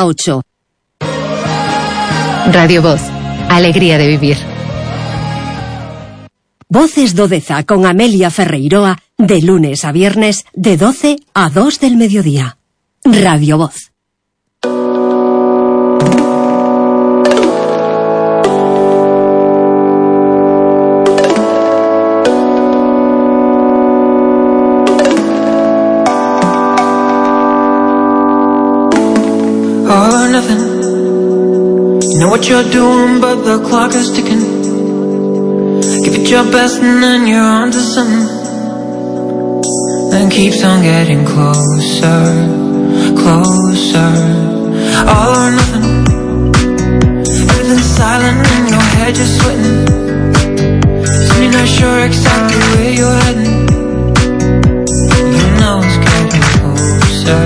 a 8. Radio Voz, alegría de vivir. Voces do Deza con Amelia Ferreiroa, de lunes a viernes, de 12 a 2 del mediodía. Radio Voz. All or nothing. You know what you're doing, but the clock is ticking. Give it your best and then you're on to something. Then keeps on getting closer, closer. All or nothing. Everything's silent in your head, you're sweating. So you're not sure exactly where you're heading. You know it's getting closer,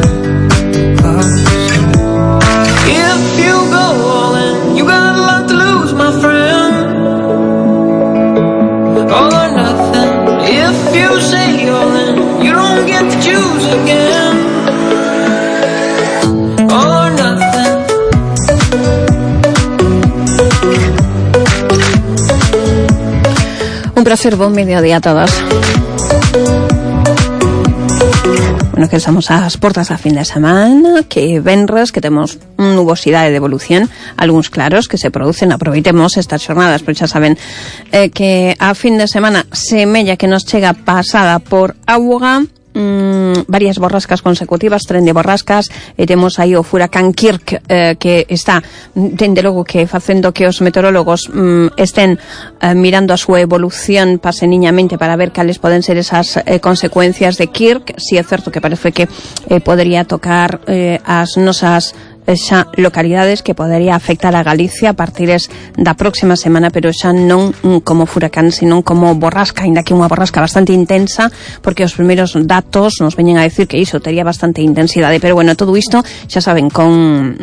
closer. If you go all in, you got a lot to lose, my friend. All or nothing. If you say all in, you don't get to choose again. All or nothing. Un placer, buen mediodía a todos. Bueno, que estamos ás portas a fin de semana, que venres, que temos nubosidade de evolución, algúns claros que se producen, aproveitemos estas xornadas, pero xa saben que a fin de semana semella que nos chega pasada por auga, varias borrascas consecutivas, tren de borrascas, temos aí o furacán Kirk, que está, dende logo que facendo que os meteorólogos estén mirando a súa evolución paseniñamente para ver cales poden ser esas consecuencias de Kirk. Si é certo que parece que podería tocar as nosas xa localidades, que podería afectar a Galicia a partires da próxima semana, pero xa non como furacán, senón como borrasca, ainda que unha borrasca bastante intensa, porque os primeiros datos nos veñen a decir que iso tería bastante intensidade. Pero bueno, todo isto, xa saben, con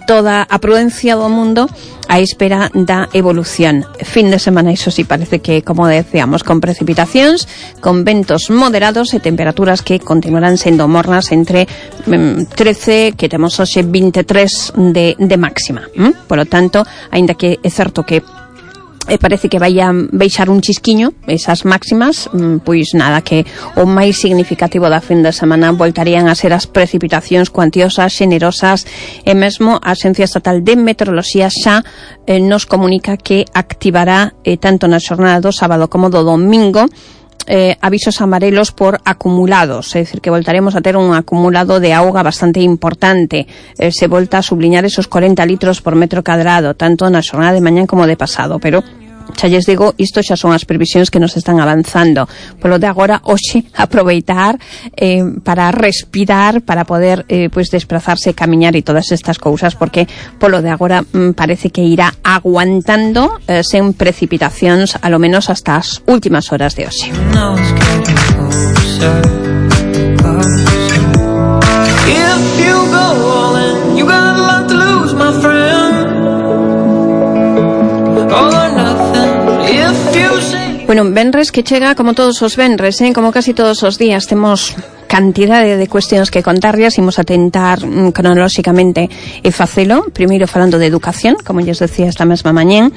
toda a prudencia do mundo, a espera da evolución. Fin de semana, iso sí, parece que, como decíamos, con precipitacións, con ventos moderados e temperaturas que continuarán sendo mornas entre 13, que temos hoxe 23 de máxima. Por lo tanto, aínda que é certo que parece que vai a baixar un chisquiño esas máximas, pois nada, que o máis significativo da fin de semana voltarían a ser as precipitacións cuantiosas, xenerosas, e mesmo a Axencia Estatal de Meteoroloxía xa nos comunica que activará tanto na xornada do sábado como do domingo avisos amarelos por acumulados, é dicir, que voltaremos a ter un acumulado de auga bastante importante. Se volta a subliñar esos 40 litros por metro cadrado, tanto na xornada de mañán como de pasado, pero xa lles digo, isto xa son as previsións que nos están avanzando. Polo de agora, hoxe, aproveitar para respirar, para poder pois desplazarse, camiñar e todas estas cousas, porque polo de agora parece que irá aguantando sen precipitacións, a lo menos hasta as últimas horas de hoxe. Bueno, venres que chega como todos os venres, como casi todos os días. Temos cantidade de cuestións que contarlles. Imos a tentar cronolóxicamente facelo. Primeiro falando de educación, como lles decía esta mesma mañén.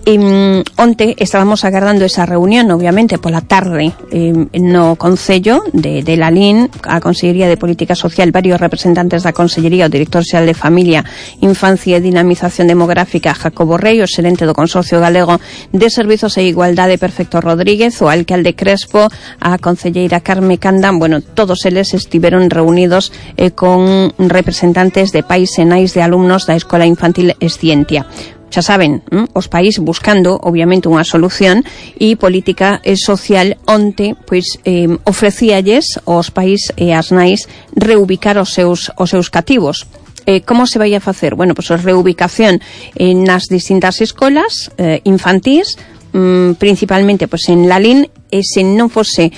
Onte estábamos agardando esa reunión, obviamente, pola tarde no Concello de Lalín, a Consellería de Política Social, varios representantes da Consellería, o Director Xeral de Familia, Infancia e Dinamización Demográfica, Jacobo Rei, o xerente do Consorcio Galego de Servizos e Igualdade, Perfecto Rodríguez, o alcalde Crespo, a concelleira Carme Candán. Bueno, todos eles estiveron reunidos con representantes de pais e nais de alumnos da Escola Infantil Escientia. Xa saben, os pais buscando, obviamente, unha solución, e política social onte, pois, ofrecíalles aos pais e as nais reubicar os seus cativos. Como se vai a facer? Bueno, pois a reubicación nas distintas escolas infantís, principalmente pois en Lalín, e se non fose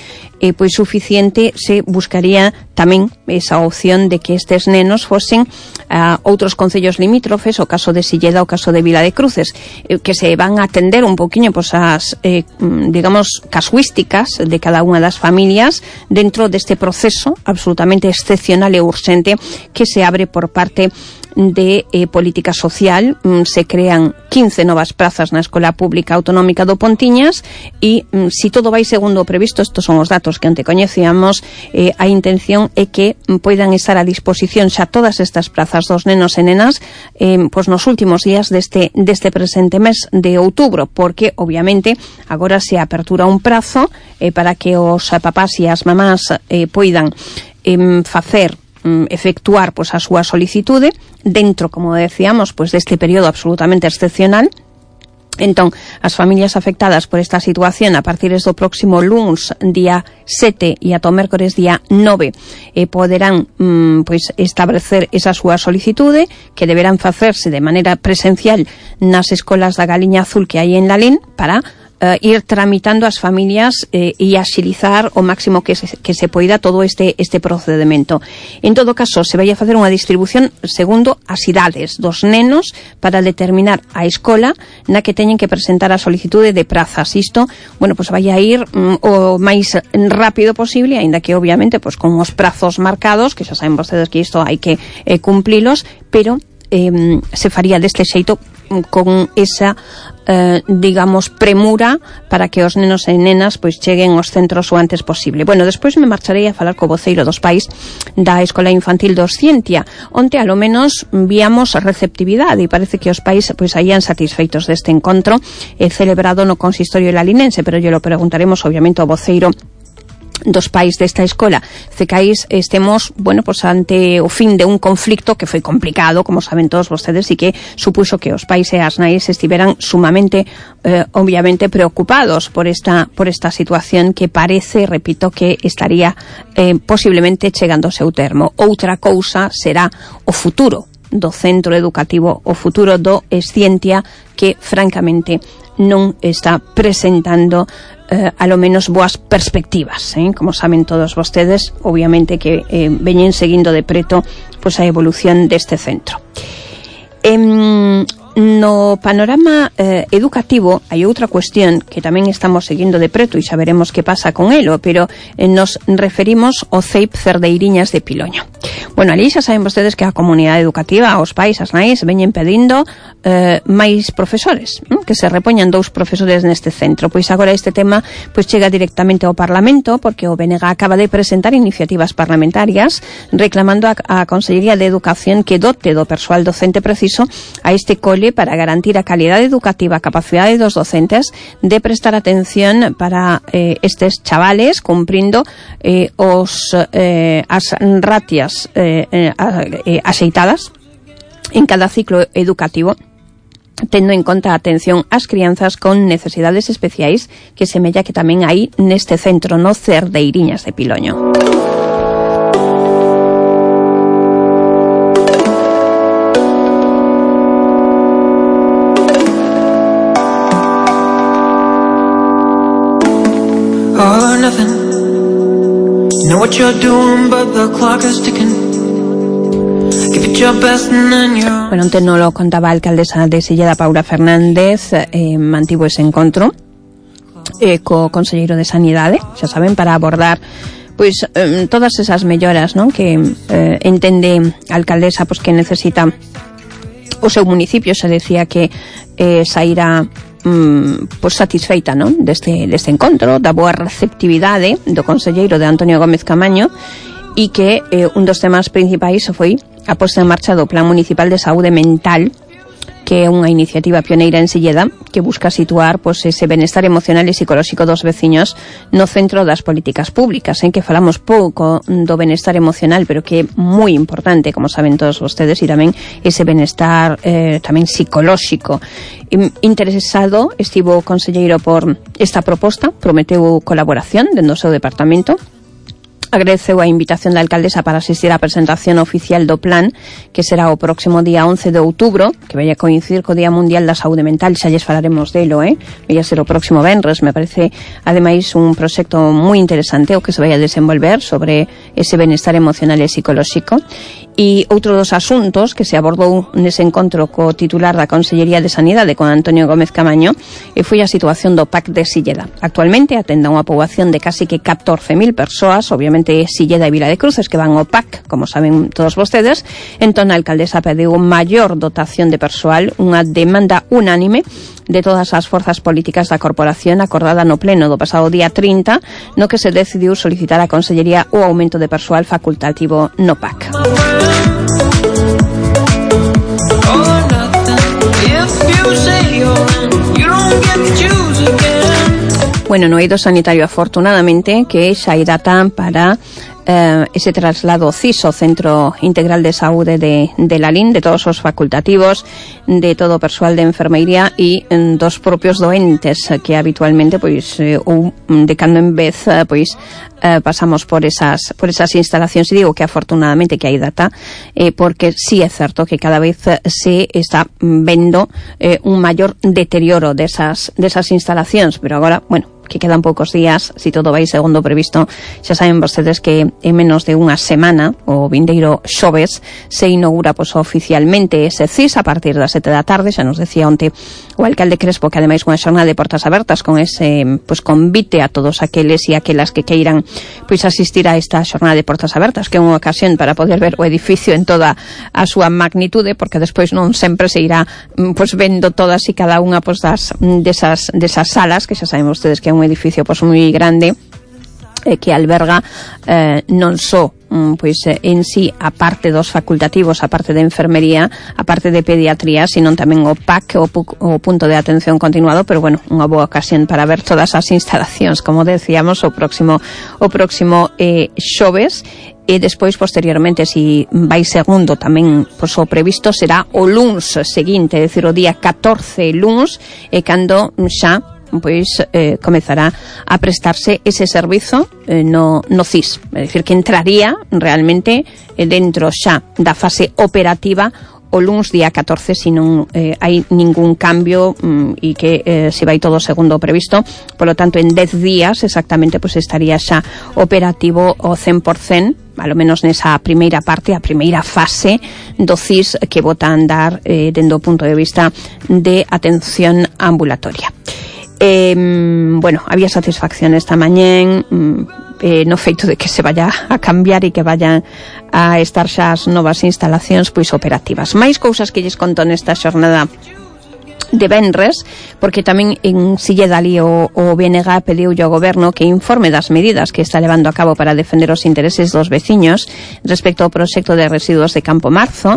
pois suficiente, se buscaría tamén esa opción de que estes nenos fosen a outros concellos limítrofes, o caso de Silleda, o caso de Vila de Cruces, que se van a atender un poquinho pois as digamos casuísticas de cada unha das familias dentro deste proceso absolutamente excepcional e urxente que se abre por parte de política social. Se crean 15 novas prazas na Escola Pública Autonómica do Pontiñas e, si todo vai segundo o previsto, estos son os datos que ante coñecíamos, a intención é que poidan estar a disposición xa todas estas prazas dos nenos e nenas pois nos últimos días deste presente mes de outubro, porque obviamente agora se apertura un prazo para que os papás e as mamás poidan efectuar pois a súa solicitude dentro, como decíamos, pois deste período absolutamente excepcional. Entón, as familias afectadas por esta situación a partir do próximo luns, día 7 e ata o mércores día 9 poderán pois establecer esa súa solicitude, que deberán facerse de maneira presencial nas escolas da Galiña Azul que hai en Lalín, para ir tramitando as familias e axilizar o máximo que se poida todo este procedimento. En todo caso, se vai a facer unha distribución segundo as idades dos nenos para determinar a escola na que teñen que presentar a solicitude de prazas. Isto, bueno, pues vai a ir o máis rápido posible, aínda que obviamente pues con os prazos marcados, que xa saben vostedes que isto hai que cumplilos, pero se faría deste xeito con esa digamos premura para que os nenos e nenas pois cheguen aos centros o antes posible. Bueno, despois me marcharei a falar co voceiro dos pais da Escola Infantil do Oscientia, onde alo menos víamos receptividade e parece que os pais pois saían satisfeitos deste encontro celebrado no consistorio lalinense, pero yo lo preguntaremos obviamente ao voceiro dos pais desta escola. Cecais estemos, bueno, pues ante o fin de un conflicto que foi complicado, como saben todos vostedes, e que supuxo que os pais e as nais estiveran sumamente obviamente preocupados por esta situación que parece, repito, que estaría posiblemente chegando ao seu termo. Outra cousa será o futuro do centro educativo, o futuro do Escientia, que francamente non está presentando a lo menos boas perspectivas, como saben todos vostedes, obviamente que veñen seguindo de preto pois a evolución deste centro. No panorama educativo hai outra cuestión que tamén estamos seguindo de preto e xa veremos que pasa con elo, pero nos referimos ao CEIP Cerdeiriñas de Piloño. Bueno, ali xa saben vostedes que a comunidade educativa, os pais, as nais, veñen pedindo máis profesores, que se repoñan 2 profesores neste centro. Pois agora este tema pois chega directamente ao Parlamento, porque o BNG acaba de presentar iniciativas parlamentarias reclamando a Consellería de Educación que dote do persoal docente preciso a este cole para garantir a calidade educativa, a capacidade dos docentes de prestar atención para estes chavales, cumprindo as ratias axeitadas en cada ciclo educativo, tendo en conta a atención ás crianzas con necesidades especiais, que semella que tamén hai neste centro, no Cerdeiriñas de Piloño. All or nothing. You know what you're doing, but the clock is ticking. Give it your best and then you're... Bueno, antes no lo contaba a alcaldesa de Silleda, Paula Fernández, mantivo ese encontro co conselleiro de Sanidade, xa saben, para abordar pois todas esas melloras, non, que entende a alcaldesa pois que necesita o seu municipio. Se decía que saíra pois satisfeita, non, deste encontro, da boa receptividade do conselleiro de Antonio Gómez Camaño, e que un dos temas principais foi a posta en marcha do Plan Municipal de Saúde Mental, que é unha iniciativa pioneira en Silleda que busca situar pois ese benestar emocional e psicolóxico dos veciños no centro das políticas públicas, en que falamos pouco do benestar emocional, pero que é moi importante, como saben todos vostedes, e tamén ese benestar tamén psicolóxico. Interesado estivo o conselleiro por esta proposta, prometeu colaboración dentro do seu departamento. Agradeceu a invitación da alcaldesa para asistir á presentación oficial do plan, que será o próximo día 11 de outubro, que vai a coincidir co Día Mundial da Saúde Mental. Xa lles falaremos delo, vai a ser o próximo venres. Me parece, ademais, un proxecto moi interesante o que se vai a desenvolver sobre ese benestar emocional e psicolóxico. E outro dos asuntos que se abordou nese encontro co titular da Consellería de Sanidade, con Antonio Gómez Camaño, foi a situación do PAC de Silleda. Actualmente atende a unha poboación de casi que 14.000 persoas, obviamente Silleda e Vila de Cruces que van ao PAC, como saben todos vostedes. Entón a alcaldesa pediu maior dotación de persoal, unha demanda unánime de todas as forzas políticas da corporación acordada no pleno do pasado día 30, no que se decidiu solicitar á Consellería o aumento de persoal facultativo no PAC. Bueno, no eido sanitario, afortunadamente, que xa hai data para ese traslado CIS, o Centro Integral de Saúde de Lalín, de todos os facultativos, de todo o persoal de enfermería e dos propios doentes que habitualmente, pois, ou de cando en vez, pois, pasamos por esas instalacións. E digo que afortunadamente que hai data, porque sí é certo que cada vez se está vendo un maior deterioro desas instalacións, pero agora, bueno, que quedan poucos días, si todo vai segundo previsto. Xa saben vostedes que en menos de unha semana, o vindeiro xoves, se inaugura oficialmente ese CIS a partir das 7 da tarde. Xa nos decía onte o alcalde Crespo que ademais unha xornada de portas abertas con ese convite a todos aqueles e aquelas que queiran asistir a esta xornada de portas abertas, que é unha ocasión para poder ver o edificio en toda a súa magnitude, porque despois non sempre se irá vendo todas e cada unha desas salas, que xa saben vostedes que é un edificio moi grande, que alberga non só en sí a parte dos facultativos, a parte de enfermería, a parte de pediatría, sino tamén o PAC, o punto de atención continuado. Pero bueno, unha boa ocasión para ver todas as instalacións, como decíamos, o próximo xoves. E despois, posteriormente, si vai segundo tamén, o previsto será o luns seguinte, é dicir, o día 14 luns, e cando xa comezará a prestarse ese servizo no CIS, é dicir, que entraría realmente dentro xa da fase operativa o luns día 14, se non hai ningún cambio e que se vai todo segundo previsto. Por lo tanto, en 10 días exactamente estaría xa operativo o 100%, ao menos nesa primeira parte, a primeira fase do CIS, que bota a andar dende o punto de vista de atención ambulatoria. Bueno, había satisfacción esta mañén no feito de que se vaya a cambiar e que vayan a estar xa as novas instalacións operativas. Mais cousas que lles conto nesta xornada de venres, porque tamén en Silleda ali o BNG pediulle ao goberno que informe das medidas que está levando a cabo para defender os intereses dos veciños respecto ao proxecto de residuos de Campo Marzo.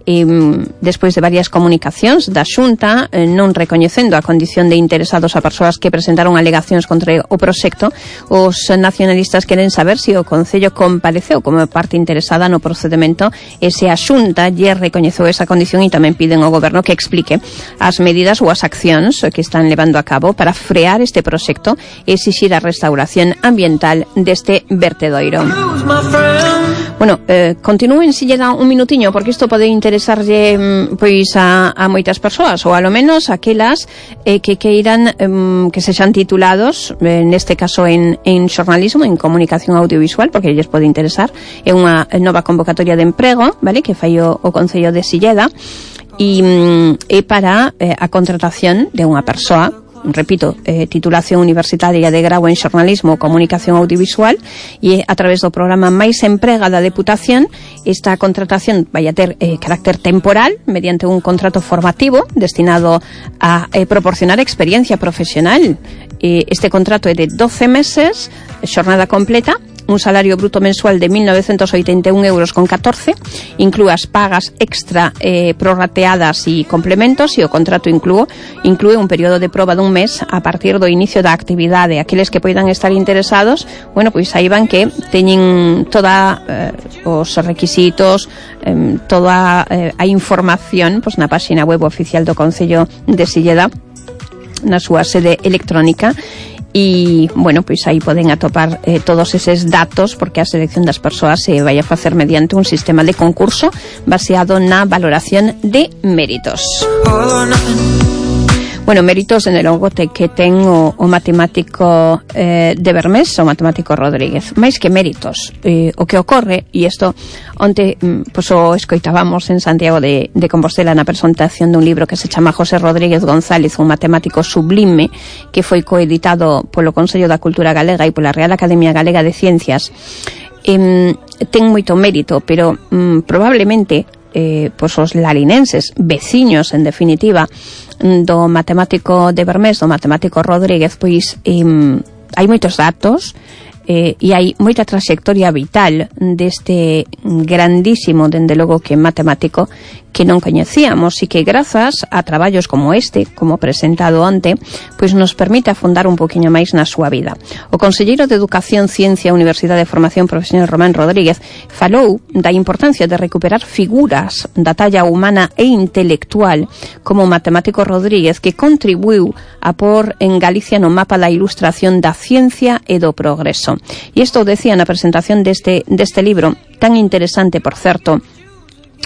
Despois de varias comunicacións da Xunta non recoñecendo a condición de interesados a persoas que presentaron alegacións contra o proxecto, os nacionalistas queren saber se o Concello compareceu como parte interesada no procedimento e se a Xunta lle recoñeceu esa condición, e tamén piden ao goberno que explique as medidas ou as accións que están levando a cabo para frear este proxecto e exixir a restauración ambiental deste vertedoiro. Bueno, continúen se llega un minutiño, porque isto pode interesarlle a moitas persoas, ou alo menos aquelas que queiran que sexan titulados, neste caso en xornalismo, en comunicación audiovisual, porque lles pode interesar. É unha nova convocatoria de emprego, vale, que fai o Concello de Silleda, e para a contratación de unha persoa, repito, titulación universitaria de grau en xornalismo ou comunicación audiovisual, e a través do programa Mais Emprega da Deputación. Esta contratación vai a ter carácter temporal mediante un contrato formativo destinado a proporcionar experiencia profesional. Este contrato é de 12 meses, xornada completa, un salario bruto mensual de 1.981 euros con 14, inclúe as pagas extra prorrateadas e complementos, e o contrato inclúe un período de proba dun mes a partir do inicio da actividade. Aqueles que poidan estar interesados, bueno, pois saiban que teñen toda os requisitos, toda a información na páxina web oficial do Concello de Silleda, na súa sede electrónica. E, bueno, pois aí poden atopar todos eses datos, porque a selección das persoas se vai a facer mediante un sistema de concurso baseado na valoración de méritos. Bueno, méritos en el logo que ten o matemático de Bermés, o matemático Rodríguez. Máis que méritos, o que ocorre, e isto onte pues, o escoitábamos en Santiago de Compostela na presentación dun libro que se chama José Rodríguez González, un matemático sublime, que foi coeditado polo Consello da Cultura Galega e pola Real Academia Galega de Ciencias. Ten moito mérito, pero probablemente pois os lalinenses, veciños en definitiva do matemático de Bermés, do matemático Rodríguez, pois hai moitos datos e hai moita traxectoria vital deste grandísimo, dende logo que matemático, que non coñecíamos e que grazas a traballos como este, como presentado onte, pois nos permite afondar un poquinho máis na súa vida. O conselleiro de Educación, Ciencia, Universidade de Formación Profesional Román Rodríguez falou da importancia de recuperar figuras da talla humana e intelectual como o matemático Rodríguez, que contribuiu a pôr en Galicia no mapa da ilustración da ciencia e do progreso. E isto decía na presentación deste libro, tan interesante, por certo,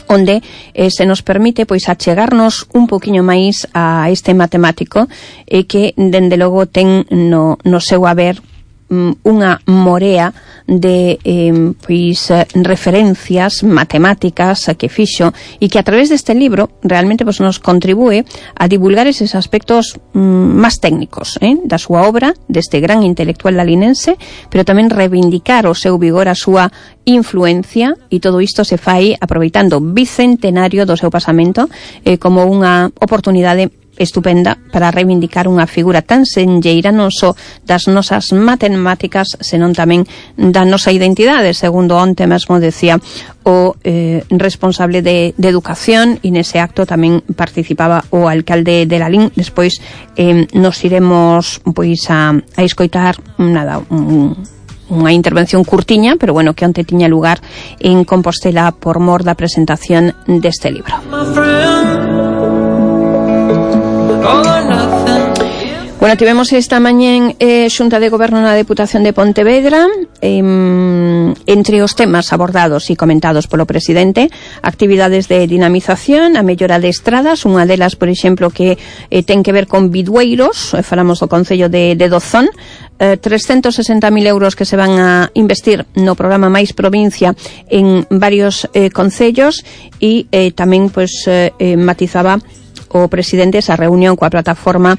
onde se nos permite pois achegarnos un poquinho máis a este matemático que dende logo ten no seu haber unha morea de referencias matemáticas que fixo e que a través deste libro realmente pues, nos contribúe a divulgar eses aspectos máis técnicos da súa obra, deste gran intelectual lalinense, pero tamén reivindicar o seu vigor, a súa influencia, e todo isto se fai aproveitando o bicentenario do seu pasamento como unha oportunidade estupenda para reivindicar unha figura tan senlleira non só das nosas matemáticas, senón tamén da nosa identidade, segundo onte mesmo decía o responsable de educación, e nese acto tamén participaba o alcalde de Lalín. Despois nos iremos pois a escoitar unha intervención curtiña, pero bueno, que onte tiña lugar en Compostela por mor da presentación deste libro. Bueno, tivemos esta mañá Xunta de Goberno na Deputación de Pontevedra, entre os temas abordados e comentados polo presidente, actividades de dinamización, a mellora de estradas, unha delas, por exemplo, que ten que ver con bidueiros, falamos do Concello de Dozón, 360.000 euros que se van a investir no programa Mais Provincia en varios concellos, e tamén pues, matizaba o presidente esa reunión coa plataforma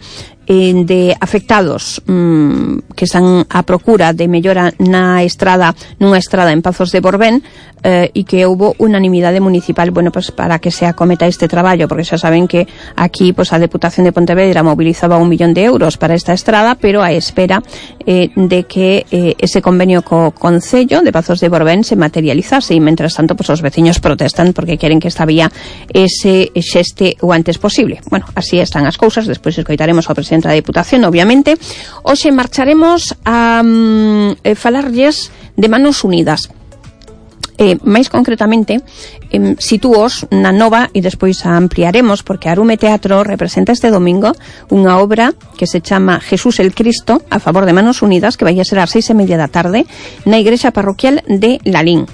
de afectados que están a procura de mellora nunha estrada en Pazos de Borbén, e que houbo unanimidade municipal, bueno, pues para que se acometa este traballo, porque xa saben que aquí pues a Deputación de Pontevedra mobilizaba 1 millón de euros para esta estrada, pero a espera de que ese convenio co Concello de Pazos de Borbén se materializase, e mentras tanto pues os veciños protestan porque queren que esta vía se xeste o antes posible. Bueno, así están as cousas. Despois escoitaremos ao presidente da Deputación, obviamente. Hoxe marcharemos a falarlles de Manos Unidas. Máis concretamente, sitúos na nova, e despois a ampliaremos, porque Arume Teatro representa este domingo unha obra que se chama Jesús el Cristo, a favor de Manos Unidas, que vai a ser ás 6:30 da tarde na igrexa parroquial de Lalín.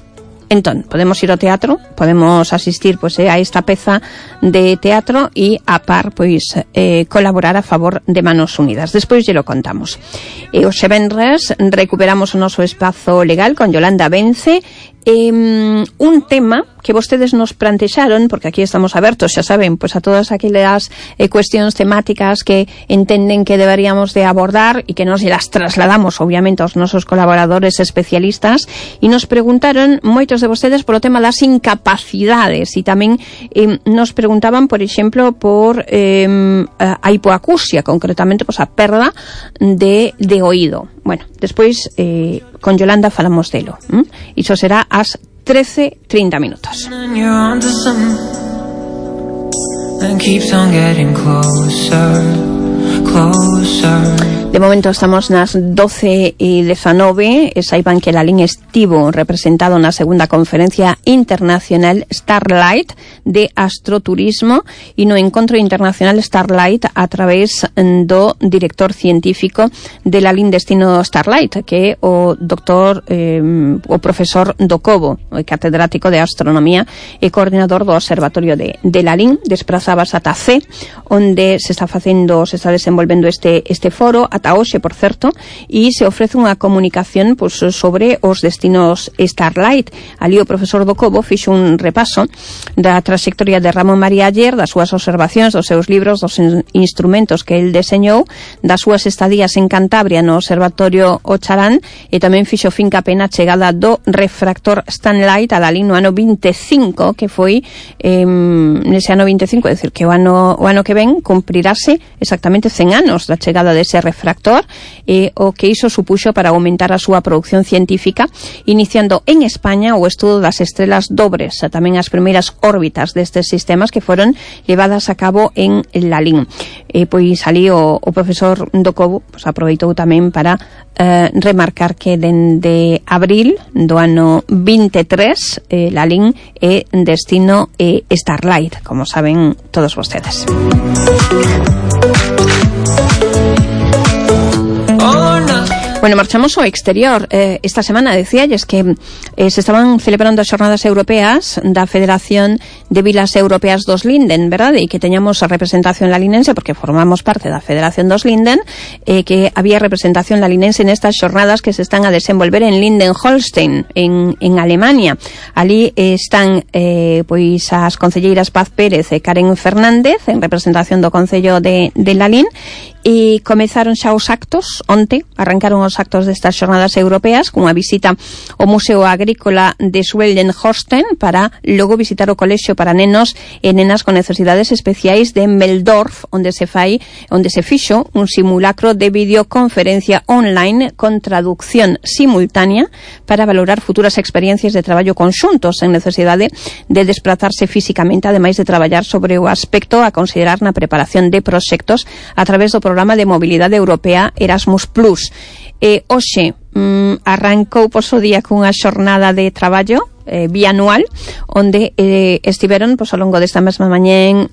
Entón, podemos ir ao teatro, podemos asistir pois, a esta peza de teatro e a par pois colaborar a favor de Manos Unidas. Despois lle lo contamos. E hoxe venres recuperamos o noso espazo legal con Yolanda Vence, un tema que vostedes nos plantexaron, porque aquí estamos abertos, xa saben, pois a todas aquelas cuestións temáticas que entenden que deberíamos de abordar e que nos las trasladamos, obviamente, aos nosos colaboradores especialistas, e nos preguntaron moitos de vostedes polo tema das incapacidades, e tamén nos preguntaban, por exemplo, por a hipoacusia, concretamente, pois a perda de oído. Bueno, despois con Yolanda falamos delo. Iso será ás 13:30 minutos. De momento estamos nas 12:19 e saiban que Lalín estivo representado na segunda conferencia internacional Starlight de astroturismo e no encontro internacional Starlight a través do director científico de Lalín Destino Starlight, que é o o profesor do Cobo, o catedrático de astronomía e coordinador do observatorio de Lalín. Desprazábase ata C, onde se está desenvolvendo este foro ata hoxe, por certo, e se ofrece unha comunicación sobre os destinos Starlight. Ali o profesor do Cobo fixo un repaso da traxectoria de Ramón María Aller, das súas observacións, dos seus libros, dos instrumentos que el deseñou, das súas estadías en Cantabria no observatorio Ocharán, e tamén fixo fincape na chegada do refractor Stanlight a Lalín no ano 25, que foi nese ano 25, é dicir, que o ano que ven cumprirase exactamente 100 anos da chegada dese refractor, e o que iso supuxo para aumentar a súa produción científica, iniciando en España o estudo das estrelas dobres, tamén as primeiras órbitas destes sistemas que foron levadas a cabo en Lalín. Pois ali o profesor do Cobo aproveitou tamén para remarcar que dende abril do ano 23 Lalín é destino Starlight, como saben todos vostedes. Bueno, marchamos ao exterior. Esta semana decíalles que se estaban celebrando as xornadas europeas da Federación de Vilas Europeas dos Linden, verdade? E que teñamos a representación lalinense, porque formamos parte da Federación dos Linden, que había representación lalinense nestas xornadas que se están a desenvolver en Linden-Holstein, en Alemania. Ali están pois as concelleiras Paz Pérez e Karen Fernández en representación do Concello de Lalín, e comezaron xa os actos onte, arrancaron os actos destas xornadas europeas cunha visita ao Museo Agrícola de Schweldenhorsten para logo visitar o colexio para nenos e nenas con necesidades especiais de Meldorf, onde se fixo un simulacro de videoconferencia online con traducción simultánea para valorar futuras experiencias de traballo conxuntos en necesidade de desplazarse físicamente, ademais de traballar sobre o aspecto a considerar na preparación de proxectos a través do programa de mobilidade europea Erasmus+. Hoxe arrancou por o día cunha xornada de traballo bianual, onde estiveron ao longo desta mesma mañén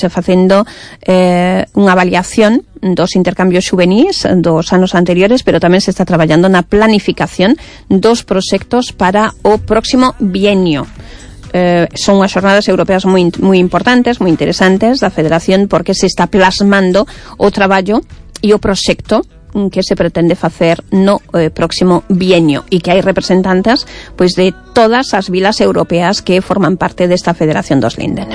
facendo unha avaliación dos intercambios xuvenís dos anos anteriores, pero tamén se está traballando na planificación dos proxectos para o próximo bienio. Son unhas xornadas europeas moi importantes, moi interesantes da Federación, porque se está plasmando o traballo e o proxecto que se pretende facer no próximo bienio, e que hai representantes de todas as vilas europeas que forman parte desta Federación dos Linden.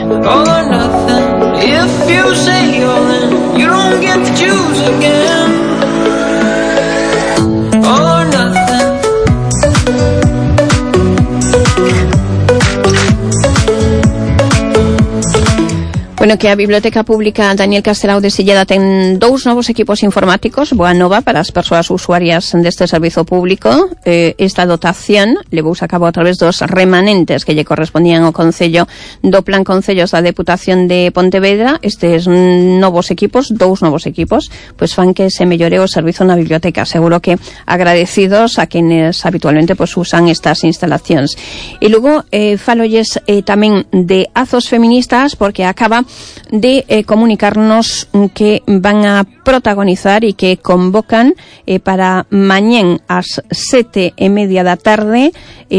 Bueno, que a Biblioteca Pública Daniel Castelao de Silleda ten 2 novos equipos informáticos, boa nova para as persoas usuarias deste servizo público. Esta dotación levouse a cabo a través dos remanentes que lle correspondían ao Concello do Plan Concellos da Deputación de Pontevedra. Estes novos equipos, 2 novos equipos, fan que se mellore o servizo na biblioteca. Seguro que agradecidos a quenes habitualmente usan estas instalacións. E logo falolles tamén de Azos Feministas, porque acaba de comunicarnos que van a protagonizar e que convocan para mañén ás 7:30 da tarde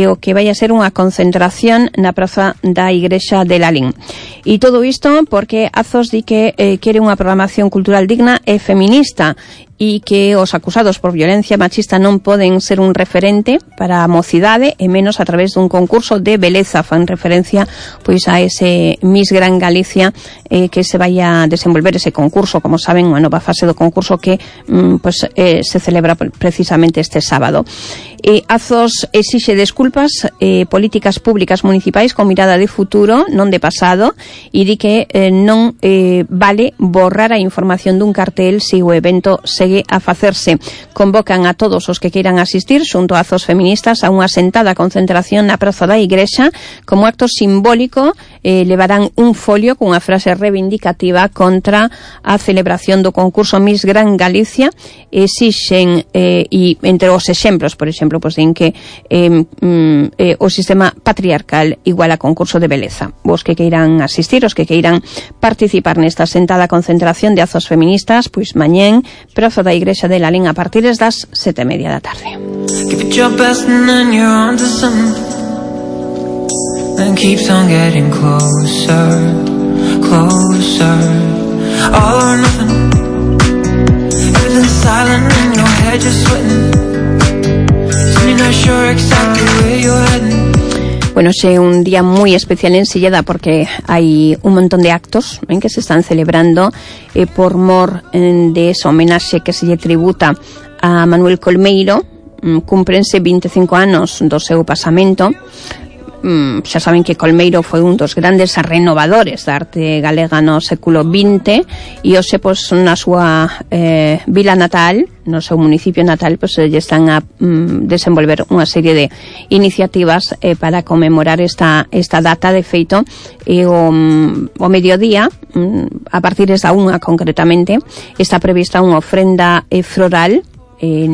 o que vai a ser unha concentración na praza da Igrexa de Lalín. E todo isto porque Azos di que quere unha programación cultural digna e feminista, e que os acusados por violencia machista non poden ser un referente para a mocidade, e menos a través dun concurso de beleza. Fan referencia a ese Miss Gran Galicia que se vai a desenvolver ese concurso, como saben, unha nova fase do concurso que se celebra precisamente este sábado. Azos exixe desculpas políticas públicas municipais con mirada de futuro, non de pasado, e di que non vale borrar a información dun cartel se o evento se segue a facerse. Convocan a todos os que queiran asistir xunto a Azos Feministas a unha sentada concentración na Praza da Igrexa. Como acto simbólico levarán un folio cunha frase reivindicativa contra a celebración do concurso Miss Gran Galicia. Exixen, e entre os exemplos, por exemplo, pues, din que o sistema patriarcal igual a concurso de beleza. Os que queiran asistir, os que queiran participar nesta sentada concentración de Azos Feministas, pois mañén, Praza da Igrexa de Lalín a partir das 7:30 da tarde. Give it your best and then you're onto something. Then keeps on getting closer, closer. All or nothing. Everything's silent in your head, you're sweating. So you're not sure exactly where you're heading. Bueno, é un día moi especial en Silleda porque hai un montón de actos que se están celebrando por mor de esa homenaxe que se lle tributa a Manuel Colmeiro. Cúmprense 25 anos do seu pasamento. Xa saben que Colmeiro foi un dos grandes renovadores da arte galega no século XX e hoxe, pois, na súa vila natal, no seu municipio natal, pois, lle están a desenvolver unha serie de iniciativas para conmemorar esta data. De feito, o mediodía, a partir da 1 concretamente, está prevista unha ofrenda floral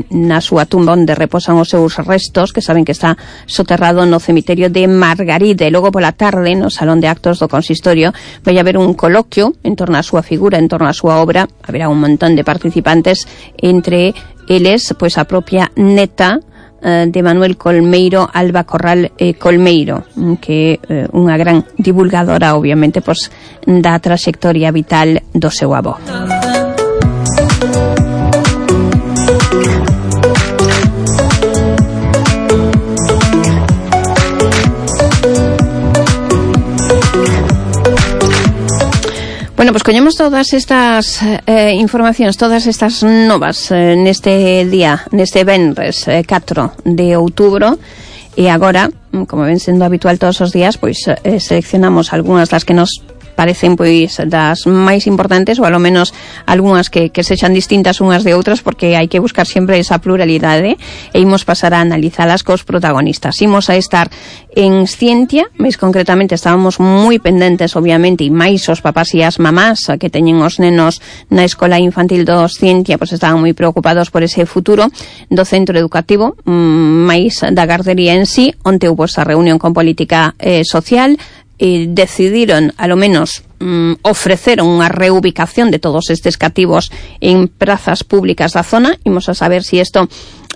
na súa tumba onde reposan os seus restos, que saben que está soterrado no cemiterio de Margaride. E logo pola tarde, no salón de actos do consistorio, vai haber un coloquio en torno á súa figura, en torno á súa obra. Haberá un montón de participantes, entre eles, pois, a propia neta de Manuel Colmeiro, Alba Corral Colmeiro, que é unha gran divulgadora, obviamente, pois, da traxectoria vital do seu avó. Bueno, pues collemos todas estas informacións, todas estas novas neste día, neste venres 4 de outubro, e agora, como ven sendo habitual todos os días, pois seleccionamos algunhas das que nos parecen, pois, das máis importantes, ou alo menos algunhas que sexan distintas unhas de outras, porque hai que buscar sempre esa pluralidade, e imos pasar a analizalas cos protagonistas. Imos a estar en Scientia, máis concretamente estábamos moi pendentes, obviamente, e máis os papás e as mamás que teñen os nenos na escola infantil dos Scientia, pois estaban moi preocupados por ese futuro do centro educativo, máis da gardería en sí, onde houve esa reunión con política social. Decidiron, alo menos, ofreceron unha reubicación de todos estes cativos en prazas públicas da zona. Imos a saber se isto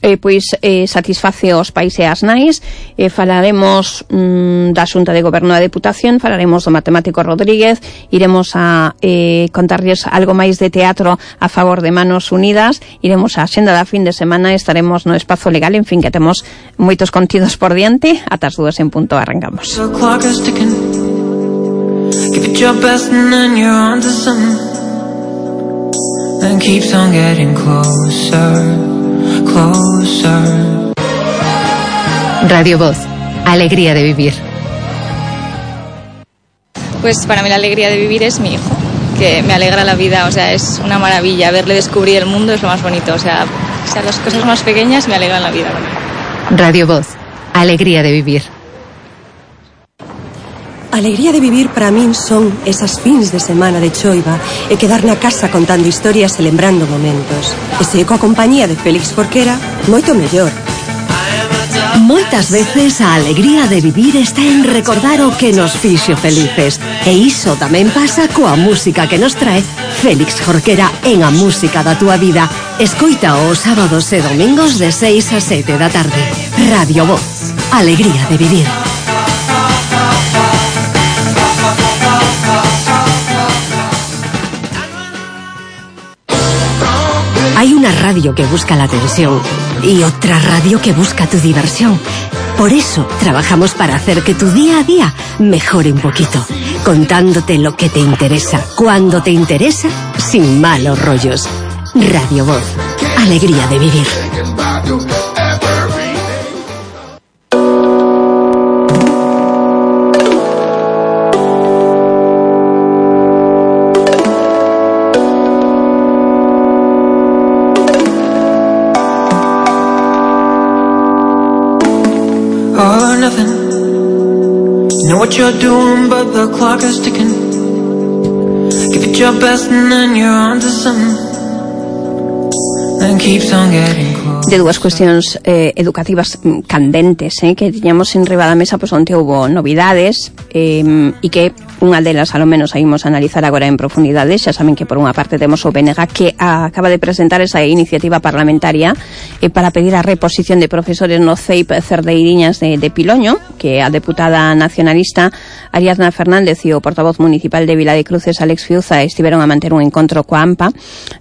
satisface os pais e as nais. Falaremos da Xunta de Goberno da Deputación, falaremos do matemático Rodríguez, iremos a contarlles algo máis de teatro a favor de Manos Unidas, iremos á xenda da fin de semana, estaremos no espazo legal, en fin, que temos moitos contidos por diante. Ata as 2 en punto arrancamos. Give it your best and then you're onto something. Then keeps on getting closer, closer. Radio Voz, alegría de vivir. Pues para mí la alegría de vivir es mi hijo, que me alegra la vida, o sea, es una maravilla. Verle descubrir el mundo es lo más bonito, o sea las cosas más pequeñas me alegran la vida. Radio Voz, alegría de vivir. Alegría de vivir para min son esas fins de semana de choiva e quedar na casa contando historias e lembrando momentos. E se coa compañía de Félix Jorquera, moito mellor. Moitas veces a alegría de vivir está en recordar o que nos fixo felices. E iso tamén pasa coa música que nos trae Félix Jorquera en A Música da Túa Vida. Escoita os sábados e domingos de 6 a 7 da tarde. Radio Voz, alegría de vivir. Hay una radio que busca la atención y otra radio que busca tu diversión. Por eso trabajamos para hacer que tu día a día mejore un poquito, contándote lo que te interesa, cuando te interesa, sin malos rollos. Radio Voz, alegría de vivir. nothing. You know what you're doing, but the clock is ticking. Give it your best and then you're on to something. Then keeps on getting close. De dúas cuestións educativas candentes que tiñamos en riba da mesa, pois onte houbo novidades e que unha delas, alo menos, a imos analizar agora en profundidade. Xa saben que por unha parte temos o BNG que acaba de presentar esa iniciativa parlamentaria para pedir a reposición de profesores no CEIP Cerdeiriñas de Piloño, que a deputada nacionalista Ariadna Fernández e o portavoz municipal de Vila de Cruces, Alex Fiuza, estiveron a manter un encontro coa AMPA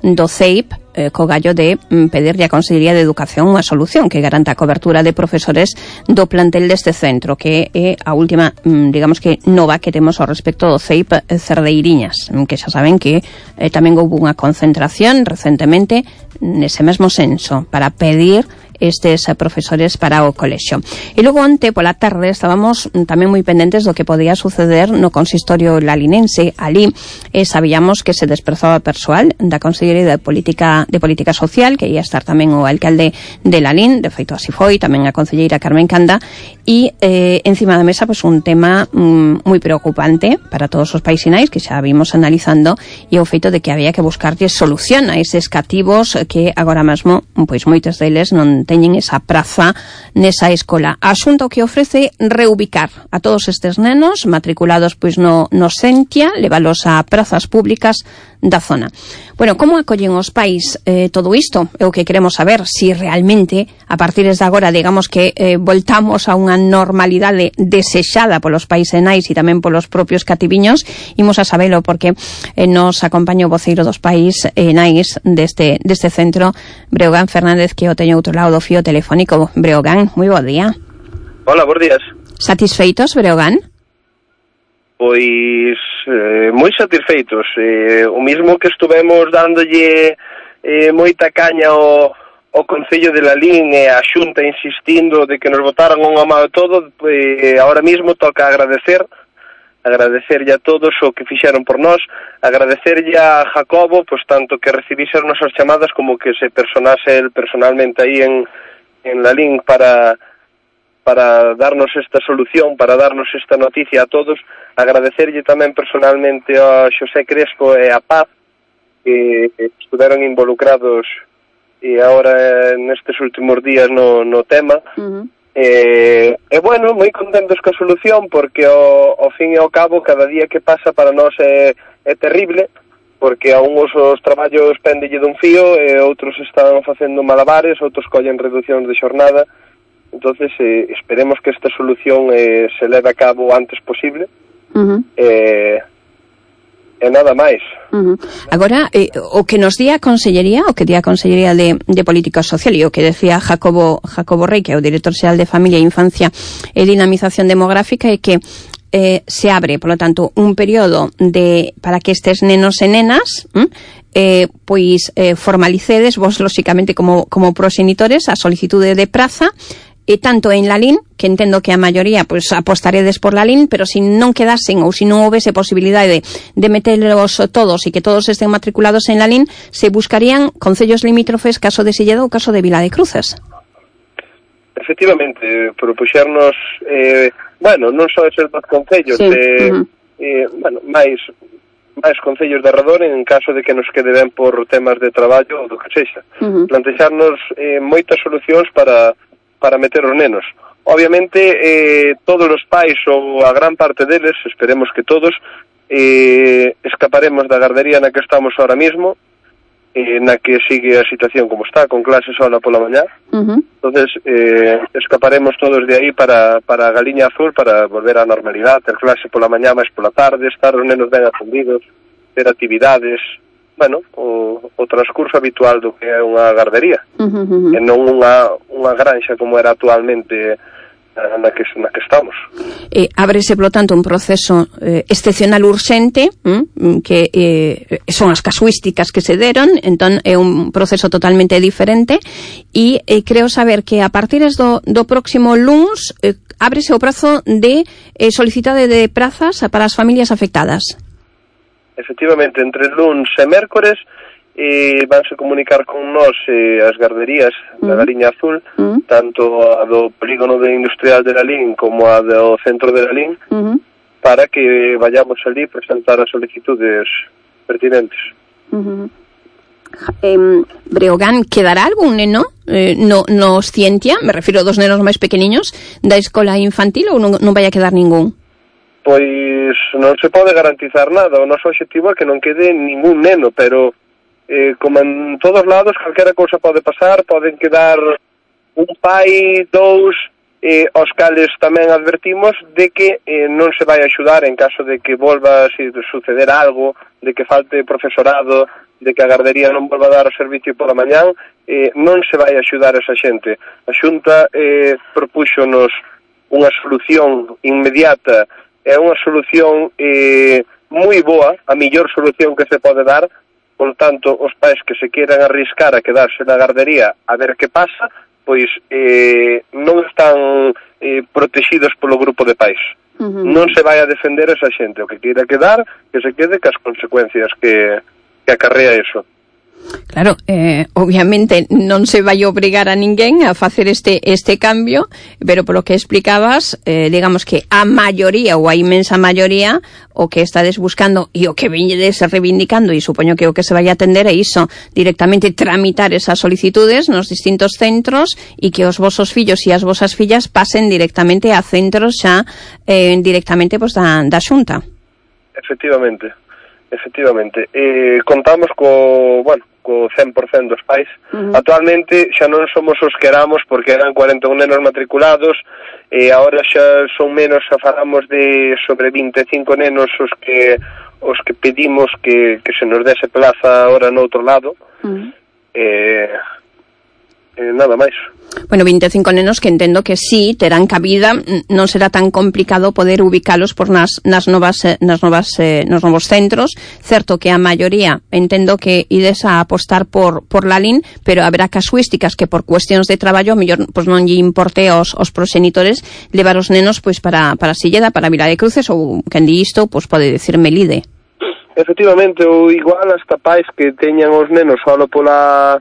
do CEIP co gallo de pedirlle a Consellería de Educación unha solución que garanta a cobertura de profesores do plantel deste centro, que é a última, digamos que nova que temos ao respecto do CEIP Cerdeiriñas, que xa saben que tamén houve unha concentración recentemente nese mesmo senso para pedir estes profesores para o colexio. E logo onte pola tarde estábamos tamén moi pendentes do que podía suceder no consistorio lalinense. Ali sabíamos que se desprazaba persoal da Consellería de Política Social, que ia estar tamén o alcalde de Lalín, de feito así foi, tamén a concelleira Carmen Canda, e encima da mesa pois un tema moi preocupante para todos os paisinais que xa vimos analizando, e o feito de que había que buscarlle solución a eses cativos que agora mesmo pois moitos deles non teñen esa praza nesa escola. Asunto que ofrece reubicar a todos estes nenos matriculados pois no Sentia, levalos a prazas públicas da zona. Bueno, como acollen os pais todo isto? É o que queremos saber, si realmente a partir de agora, digamos que voltamos a unha normalidade desexada polos pais e nais e tamén polos propios cativiños. Imos a sabelo porque nos acompaña o voceiro dos pais e nais deste centro, Breogán Fernández, que o teño outro lado do fío telefónico. Breogán, moi bo día. Hola, bons días. Satisfeitos, Breogán? Pois moi satisfeitos. O mismo que estuvemos dándolle moita caña ao Concello de Lalín e a Xunta insistindo de que nos botaran unha mão todo, ahora mismo toca agradecerlle a todos o que fixeron por nós, agradecerlle a Jacobo, pois tanto que recibise as nosas chamadas como que se personase el personalmente aí en Lalín para darnos esta solución, para darnos esta noticia a todos. Agradecerlle tamén personalmente a Xosé Crespo e a Paz, que estiveron involucrados e agora nestes últimos días no tema. E bueno, moi contentos coa solución, porque ao fin e ao cabo cada día que pasa para nós é terrible, porque a uns os traballos pendelle dun fío e outros están facendo malabares, outros collen reduccións de xornada. Entonces esperemos que esta solución se leve a cabo o antes posible. E nada máis. Agora, o que nos di a Consellería, de Política Social, e o que decía Jacobo Rey, que é o director xeral de Familia, Infancia e Dinamización Demográfica, é que se abre, por lo tanto, un período para que estes nenos e nenas pois formalicedes vos, lóxicamente, como proxenitores, a solicitude de praza, e tanto en Lalín, que entendo que a maioría pois apostaredes por Lalín, pero se non quedasen ou se non houvese posibilidade de metelos todos e que todos estén matriculados en Lalín, se buscarían concellos limítrofes, caso de Silleda ou caso de Vila de Cruces. Efectivamente, propuxernos non só eses dos concellos, máis concellos de arredor en caso de que nos quede ben por temas de traballo ou do que sexa. Plantexarnos moitas solucións para meter os nenos. Obviamente, todos os pais, ou a gran parte deles, esperemos que todos, escaparemos da gardería na que estamos ahora mismo, na que sigue a situación como está, con clases sola pola mañá. Entonces, escaparemos todos de aí para a Galiña Azul, para volver á normalidade, ter clase pola mañá máis pola tarde, estar os nenos ben atendidos, ter actividades, o transcurso habitual do que é unha gardería, e non unha granxa como era actualmente na que estamos. Ábrese, polo tanto, un proceso excepcional urxente, que son as casuísticas que se deron, entón é un proceso totalmente diferente, e creo saber que a partir do próximo luns ábrese o prazo de solicitade de prazas para as familias afectadas. Efectivamente, entre luns e mércores vanse comunicar con nós as garderías da Gariña Azul, tanto a do polígono industrial de Lalín como a do centro de Lalín, para que vayamos ali presentar as solicitudes pertinentes. Breogán, quedará algún neno no Scientia, me refiro dos nenos máis pequeniños, da escola infantil ou non vai a quedar ningún? Pois non se pode garantizar nada. O noso objetivo é que non quede ningún neno, pero como en todos lados, calquera cousa pode pasar, poden quedar un pai, dous, aos cales tamén advertimos de que non se vai axudar en caso de que volva a suceder algo, de que falte profesorado, de que a gardería non volva a dar o servicio pola mañán, non se vai axudar esa xente. A Xunta propúxonos unha solución inmediata, é unha solución moi boa, a mellor solución que se pode dar. Por tanto, os pais que se queran arriscar a quedarse na gardería a ver que pasa, pois non están protegidos polo grupo de pais. Non se vai a defender esa xente. O que queira quedar, que se quede cas consecuencias que acarrea eso. Claro, obviamente non se vai obrigar a ninguén a facer este cambio, pero polo que explicabas, digamos que a maioría ou a inmensa maioría o que estades buscando e o que veñedes reivindicando, e supoño que o que se vai a atender é iso, directamente tramitar esas solicitudes nos distintos centros e que os vosos fillos e as vosas fillas pasen directamente a centros xa directamente da Xunta. Efectivamente. Contamos co 100% dos pais. Actualmente xa non somos os que éramos, porque eran 41 nenos matriculados, e agora xa son menos, xa falamos de sobre 25 nenos os que pedimos que se nos dese plaza ahora no outro lado. Nada máis. Bueno, 25 nenos que entendo que sí terán cabida, non será tan complicado poder ubicalos por nos novos centros. Certo que a maioría entendo que ides a apostar por Lalín, pero haberá casuísticas que por cuestións de traballo mellor pois non lle importe aos proxenitores levar os nenos pois para Silleda, para Vila de Cruces, ou quen di isto, pois pode decir Melide. Efectivamente, ou igual hasta pais que teñan os nenos solo pola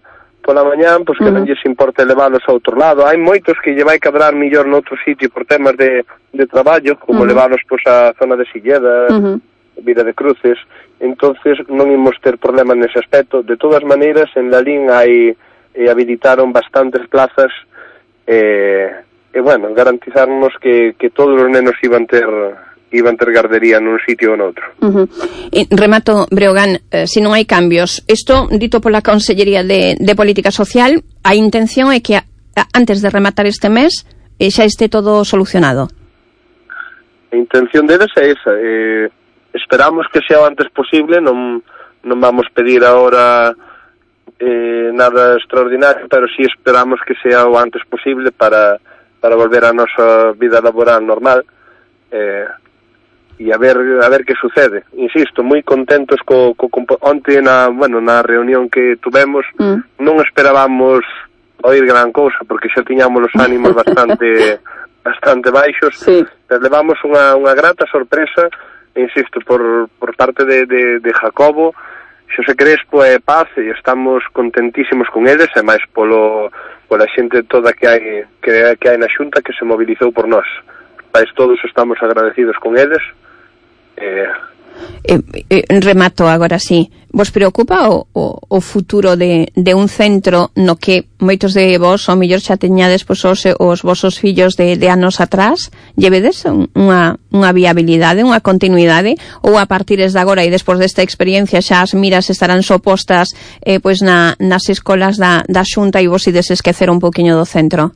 mañán, pois que non lles importa leválos a outro lado. Hai moitos que lle vai cadrar millor noutro sitio por temas de traballo, como leválos pois a zona de Silleda, Vila de Cruces. Entonces non imos ter problema nese aspecto. De todas maneiras, en Lalín habilitaron bastantes plazas garantizarnos que todos os nenos iban ter gardería nun sitio ou noutro. Remato, Breogán, se non hai cambios, isto dito pola Consellería de Política Social, a intención é que antes de rematar este mes xa este todo solucionado. A intención deles é esa. Esperamos que sea o antes posible, non vamos pedir agora nada extraordinario, pero sí esperamos que sea o antes posible para volver a nosa vida laboral normal. E a ver que sucede. Insisto, moi contentos onte na reunión que tuvemos, non esperábamos oír gran cousa, porque xa tiñamos os ánimos bastante baixos, pero levamos unha grata sorpresa, insisto, por parte de Jacobo, Xosé Crespo e Paz, e estamos contentísimos con eles, e máis pola xente toda que hai na Xunta que se mobilizou por nós. Todos estamos agradecidos con eles. Remato agora sí. Vos preocupa o futuro de un centro no que moitos de vos ao mellor xa teñades pois os vosos fillos de anos atrás? Llevedes unha viabilidade, unha continuidade, ou a partir de agora e despois desta experiencia xa as miras estarán sopostas pois nas escolas da Xunta e vos ides esquecer un poquinho do centro?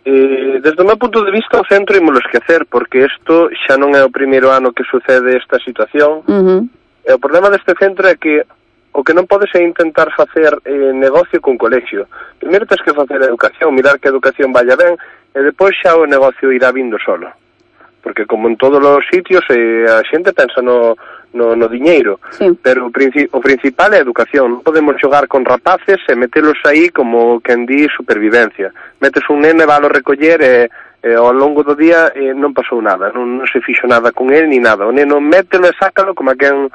Desde o meu punto de vista, o centro ímolo esquecer, porque isto xa non é o primeiro ano que sucede esta situación. E o problema deste centro é que o que non podes é intentar facer negocio cun colexio. Primeiro tens que facer educación, mirar que a educación vaya ben, e depois xa o negocio irá vindo solo. Porque como en todos os sitios a xente pensa no diñeiro, pero o principal é a educación. Non podemos xogar con rapaces e metelos aí como quen di supervivencia. Metes un nene, valo recoller e ao longo do día non pasou nada, non se fixo nada con ele ni nada. O neno mételo e sácalo como quen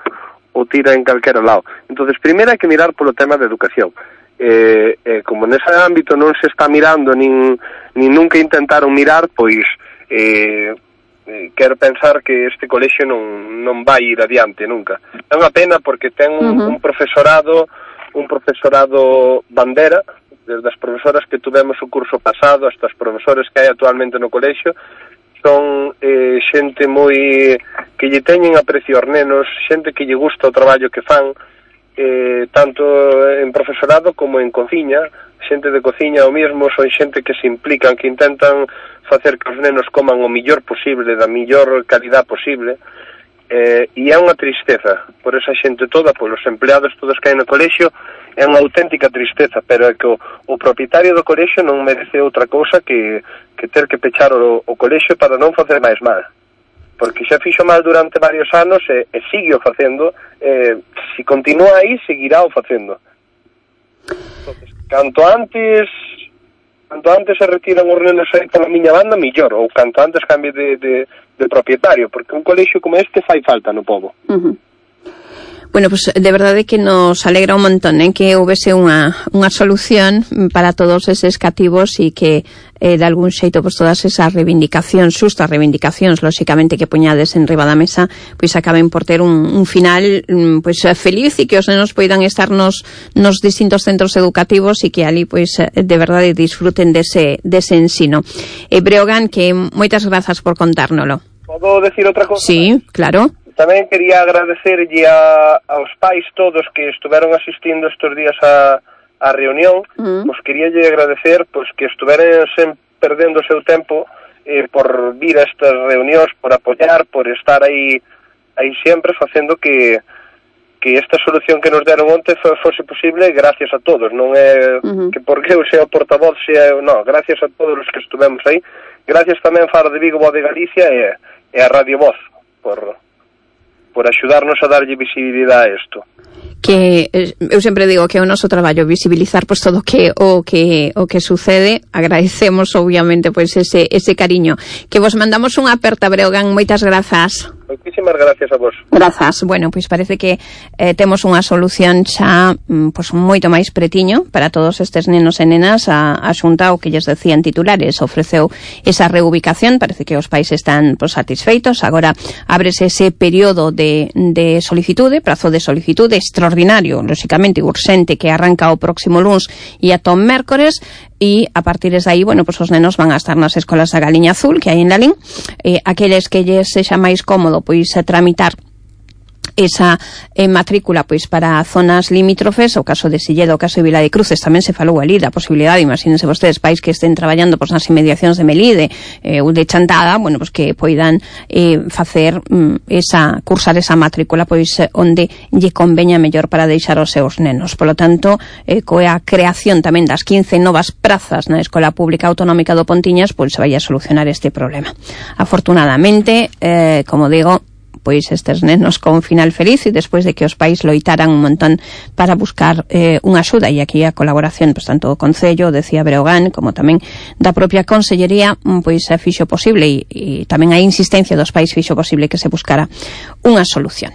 ou tira en calquera lado. Entonces, primeiro hai que mirar polo tema da educación. Como nese ámbito non se está mirando nin nunca intentaron mirar, pois quero pensar que este colexio non vai ir adiante nunca. É unha pena porque ten un profesorado bandera, desde as profesoras que tuvemos o curso pasado hasta as profesores que hai actualmente no colexio, son xente moi que lle teñen aprecio aos nenos, xente que lle gusta o traballo que fan, tanto en profesorado como en cociña, xente de cociña o mesmo, son xente que se implican, que intentan facer que os nenos coman o millor posible, da millor calidad posible, e é unha tristeza por esa xente toda, polos empleados todos que hai no colexio, é unha auténtica tristeza, pero é que o propietario do colexio non merece outra cousa que ter que pechar o colexio para non facer máis mal, porque xa fixo mal durante varios anos e sigue o facendo, se continúa aí, seguirá o facendo. Entonces, canto antes se retiran os nenos aí pola miña banda, millor, ou canto antes cambie de propietario, porque un colexio como este fai falta no pobo. Bueno, pues de verdade que nos alegra un montón que houvese unha solución para todos eses cativos e que de algún xeito pues todas esas reivindicacións, xustas reivindicacións, lóxicamente que poñades en riba da mesa, pois acaben por ter un final pues feliz e que os nenos poidan estar nos distintos centros educativos e que ali pues de verdade disfruten dese ensino. Breogán, que moitas grazas por contárnolo. Podo decir outra cosa? Sí, claro. Tamén quería agradecerlle aos pais todos que estuveron asistindo estes días a reunión, pois queríalle agradecer pois que estuveran sen perdendo o seu tempo por vir a estas reunións, por apoiar, por estar aí sempre facendo que esta solución que nos deron onte fose posible gracias a todos, non é que porque eu sea o portavoz, gracias a todos os que estuvemos aí, gracias tamén a Faro de Vigo, Voz de Galicia e a Radio Voz por axudarnos a darlle visibilidade a isto. Que eu sempre digo que é o noso traballo visibilizar pois todo o que sucede. Agradecemos obviamente pois ese cariño. Que vos mandamos unha aperta, Breogán, moitas grazas. Moitísimas gracias a vos. Grazas. Bueno, pois parece que temos unha solución xa pois moito máis pretiño para todos estes nenos e nenas. A Xunta, o que lles decían titulares, ofreceu esa reubicación. Parece que os pais están pois satisfeitos. Agora ábrese ese período de solicitude, prazo de solicitude extraordinario, lóxicamente urxente, que arranca o próximo luns e ata o mércores, e a partir de aí, bueno, pues os nenos van a estar nas escolas da Galiña Azul que hai en Lalín. Aqueles que lles sexa máis cómodo pois tramitar esa matrícula pois para zonas limítrofes, o caso de Silleda, o caso de Vila de Cruces, tamén se falou ali da posibilidade, imagínense vostedes, pais que estén traballando pois nas inmediacións de Melide ou de Chantada, bueno, pois que poidan cursar esa matrícula pois onde lle conveña mellor para deixar os seus nenos. Polo tanto, coa creación tamén das 15 novas prazas na Escola Pública Autonómica do Pontiñas, pois se vai a solucionar este problema. Afortunadamente, como digo, pois estes nenos con final feliz e despois de que os pais loitaran un montón para buscar unha axuda, e aquí a colaboración pois tanto do Concello, decía Breogán, como tamén da propia Consellería, pois fixo posible e tamén a insistencia dos pais fixo posible que se buscara unha solución.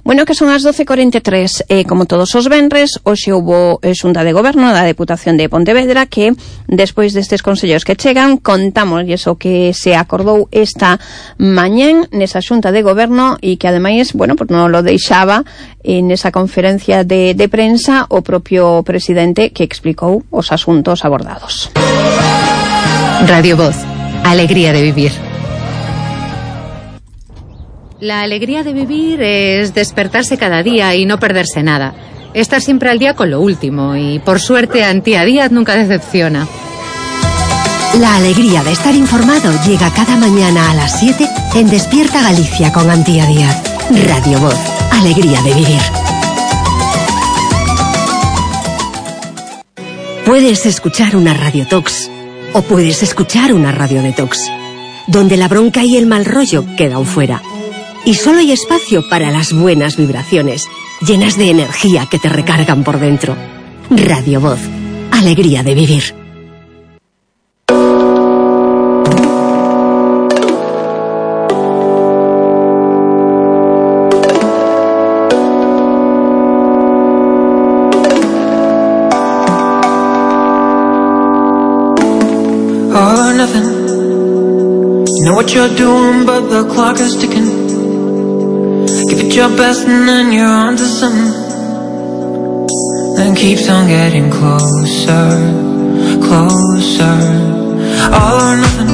Bueno, que son as 12:43, como todos os venres, hoxe houbo xunta de goberno da Deputación de Pontevedra que, despois destes consellos que chegan, contamos o que se acordou esta mañán nesa xunta de goberno e que ademais, bueno, pues non lo deixaba en esa conferencia de prensa o propio presidente que explicou os asuntos abordados. Radio Voz, alegría de vivir. La alegría de vivir es despertarse cada día y no perderse nada. Estar siempre al día con lo último y, por suerte, Antía Díaz nunca decepciona. La alegría de estar informado llega cada mañana a las 7 en Despierta Galicia con Antía Díaz. Radio Voz, alegría de vivir. Puedes escuchar una Radio Tox o puedes escuchar una Radio Detox, donde la bronca y el mal rollo quedan fuera. Y solo hay espacio para las buenas vibraciones, llenas de energía que te recargan por dentro. Radio Voz, alegría de vivir. all or nothing. You know what you're doing, but the clock is ticking. Give it your best and then you're on to something. Then keeps on getting closer, closer. All or nothing.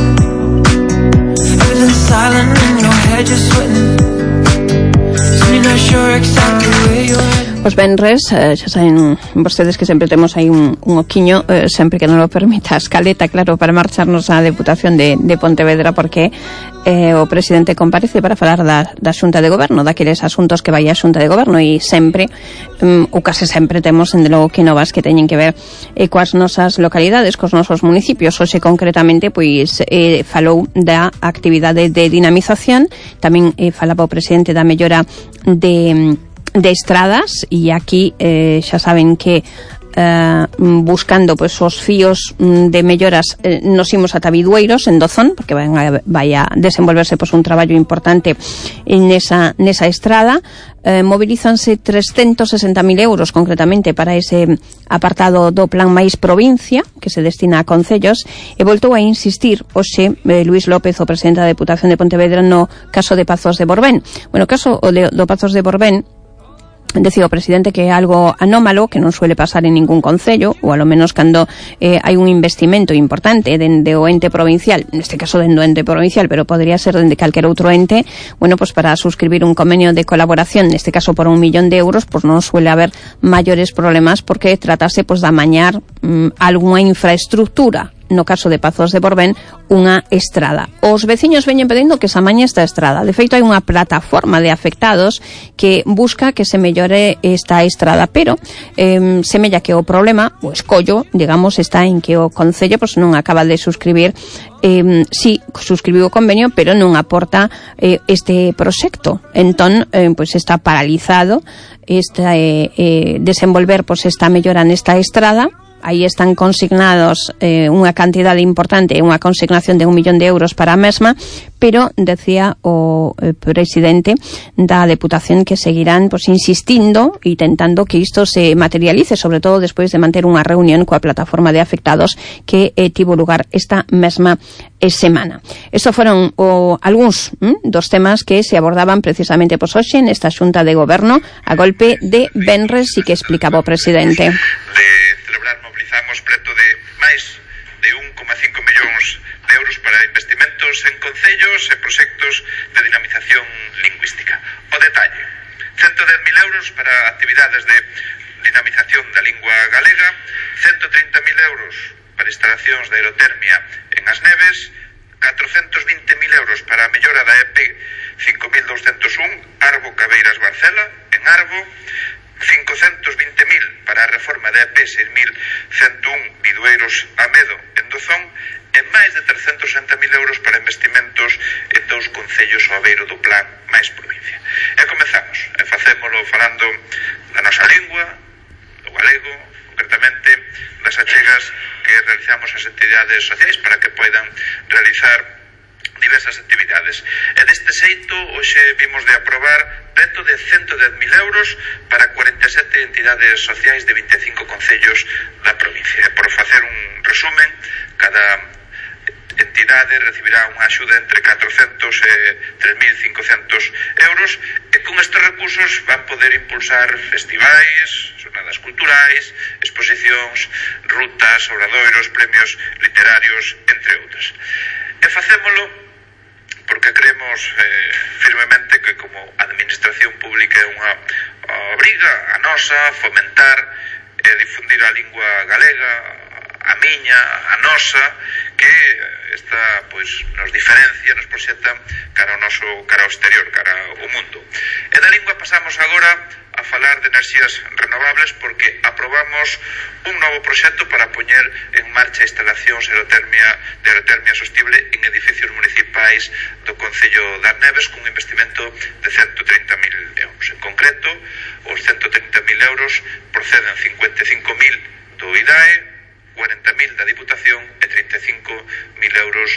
Everything's silent in your head, you're sweating. So you're not sure exactly where you're heading. Os venres, xa saben vostedes que sempre temos aí un oquiño, sempre que non lo permita a escaleta, claro, para marcharnos á Deputación de Pontevedra, porque o presidente comparece para falar da Xunta de Goberno, daqueles asuntos que vai a Xunta de Goberno, e sempre, ou case sempre, temos en de logo que novas que teñen que ver coas nosas localidades, cos nosos municipios. Hoxe concretamente pois falou da actividade de dinamización, tamén falaba o presidente da mellora de estradas, e aquí xa saben que buscando pues os fíos de melloras nos imos ata Bidueiros en Dozón, porque vai a desenvolverse pues un traballo importante nesa estrada. Movilízanse 360.000 euros concretamente para ese apartado do Plan Máis Provincia que se destina a concellos, e voltou a insistir hoxe Luís López, o presidente da Deputación de Pontevedra, no caso de Pazos de Borbén. Bueno, o caso do Pazos de Borbén, decía o presidente que é algo anómalo, que non suele pasar en ningún concello, ou alo menos cando hai un investimento importante dende o ente provincial, neste caso dende o ente provincial, pero podría ser dende calquer outro ente. Bueno, pues para suscribir un convenio de colaboración, neste caso por 1 millón de euros, pues non suele haber maiores problemas, porque tratase pues de amañar algunha infraestructura. No caso de Pazos de Borbén, unha estrada. Os veciños veñen pedindo que se amañe esta estrada. De feito, hai unha plataforma de afectados que busca que se mellore esta estrada, pero semella que o problema, o escollo, digamos, está en que o Concello pues non acaba de suscribir, sí, suscribiu o convenio, pero non aporta este proxecto. Entón, pues está paralizado desenvolver pues esta mellora nesta estrada. Aí están consignados unha cantidade importante, unha consignación de 1 millón de euros para a mesma, pero decía o presidente da Deputación que seguirán pues insistindo e tentando que isto se materialice, sobre todo despois de manter unha reunión coa plataforma de afectados que tivo lugar esta mesma semana. Estos foron algúns dos temas que se abordaban precisamente pues hoxe nesta Xunta de Goberno a golpe de venres, e que explicaba o presidente. Mobilizamos preto de máis de 1,5 millóns de euros para investimentos en concellos e proxectos de dinamización lingüística. O detalle: 110.000 euros para actividades de dinamización da lingua galega, 130.000 euros para instalacións de aerotermia en As Neves, 420.000 euros para a mellora da EP 5201 Arbo Cabeiras Barcela en Arbo, 520.000 para a reforma da EP 6.101 Bidueiros Amedo en Dozón, e máis de 360.000 euros para investimentos en 2 concellos ao beiro do Plan Máis Provincia. E comezamos, e facémolo falando da nosa lingua, do galego, concretamente das achegas que realizamos as entidades sociais para que poidan realizar diversas actividades. E deste xeito, hoxe vimos de aprobar preto de 110.000 euros para 47 entidades sociais de 25 concellos da provincia. E por facer un resumen, cada entidade recibirá unha axuda entre 400 e 3.500 euros, e con estes recursos van poder impulsar festivais, xornadas culturais, exposicións, rutas, obradoiros, premios literarios, entre outras. E facémolo porque creemos firmemente que como administración pública é unha obriga a nosa fomentar e difundir a lingua galega, a miña, a nosa, que esta pois nos diferencia, nos proxecta cara ao exterior, cara ao mundo. E da lingua pasamos agora a falar de enerxías renovables, porque aprobamos un novo proxecto para poñer en marcha instalacións de aerotermia sostible en edificios municipais do Concello das Neves cun investimento de 130.000 euros. En concreto, os 130.000 euros proceden 55.000 do IDAE, 40.000 da Diputación e 35.000 euros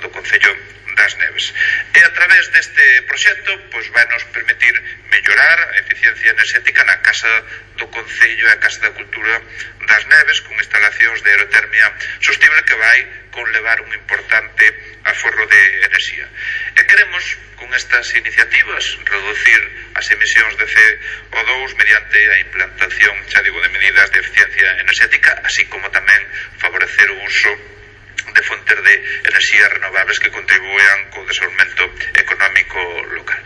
do Concello das Neves. E a través deste proxecto, pois vai nos permitir mellorar a eficiencia enerxética na Casa do Concello e a Casa da Cultura das Neves con instalacións de aerotermia sostible que vai conlevar un importante aforro de enerxía. E queremos, con estas iniciativas, reducir as emisións de CO2 mediante a implantación, xa digo, de medidas de eficiencia enerxética, así como tamén favorecer o uso de fontes de enerxías renovables que contribuan co desenvolvemento económico local.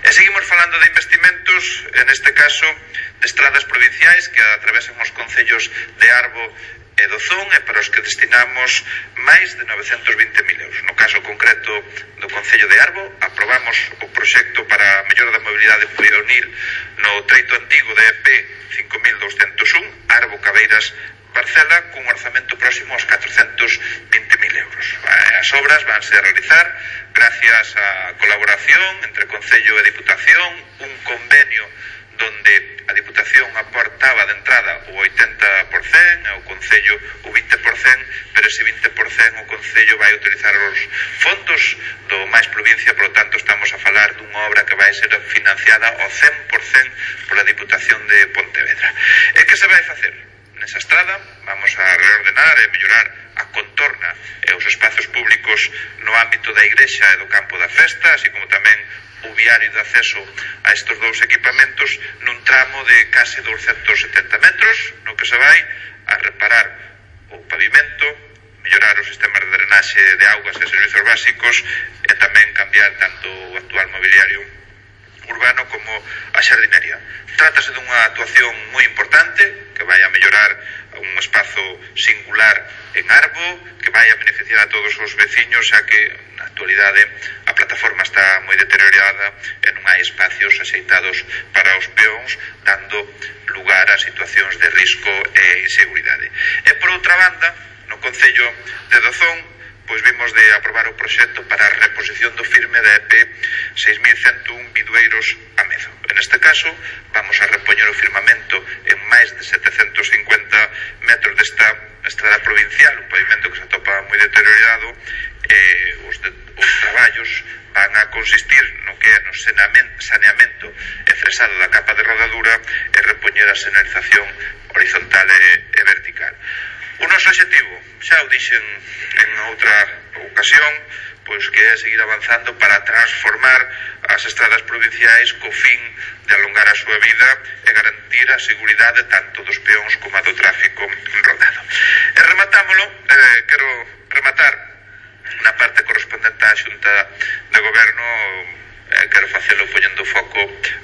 E seguimos falando de investimentos, en este caso de estradas provinciais que atravesan os concellos de Arbo e Dozón e para os que destinamos máis de 920.000 euros. No caso concreto do Concello de Arbo, aprobamos o proxecto para a mellora da mobilidade peonil no treito antigo de EP 5201, Arbo Cabeiras Barcela, cun orzamento próximo aos 420.000 euros. As obras vanse a realizar gracias á colaboración entre Concello e Diputación, un convenio donde a Diputación aportaba de entrada o 80% e o Concello o 20%, pero ese 20% o Concello vai utilizar os fondos do máis provincia, por lo tanto estamos a falar dunha obra que vai ser financiada ao 100% pola Diputación de Pontevedra. E que se vai facer? Nesa estrada vamos a reordenar e mellorar a contorna e os espazos públicos no ámbito da igrexa e do campo da festa, así como tamén o viario de acceso a estes dous equipamentos nun tramo de case 270 metros, no que se vai a reparar o pavimento, mellorar os sistemas de drenaxe de augas e servizos básicos e tamén cambiar tanto o actual mobiliario urbano como a xardinería. Trátase dunha actuación moi importante que vai a mellorar un espazo singular en Arbo, que vai a beneficiar a todos os veciños, xa que na actualidade a plataforma está moi deteriorada e non hai espacios axeitados para os peóns, dando lugar a situacións de risco e inseguridade. E por outra banda, no Concello de Dozón, pois vimos de aprobar o proxecto para a reposición do firme da EP 6101 Bidueiros a Mezo. En este caso, vamos a repoñer o firmamento en máis de 750 metros desta estrada provincial, un pavimento que se atopa moi deteriorado, e os traballos van a consistir no que é no saneamento e fresado da capa de rodadura e repoñer a señalización horizontal e vertical. O noso objetivo, xa o dixen en outra ocasión, pois que é seguir avanzando para transformar as estradas provinciais co fin de alongar a súa vida e garantir a seguridade tanto dos peóns como a do tráfico rodado. E rematámolo, quero rematar na parte correspondente á Xunta de Goberno, quero facelo poñendo foco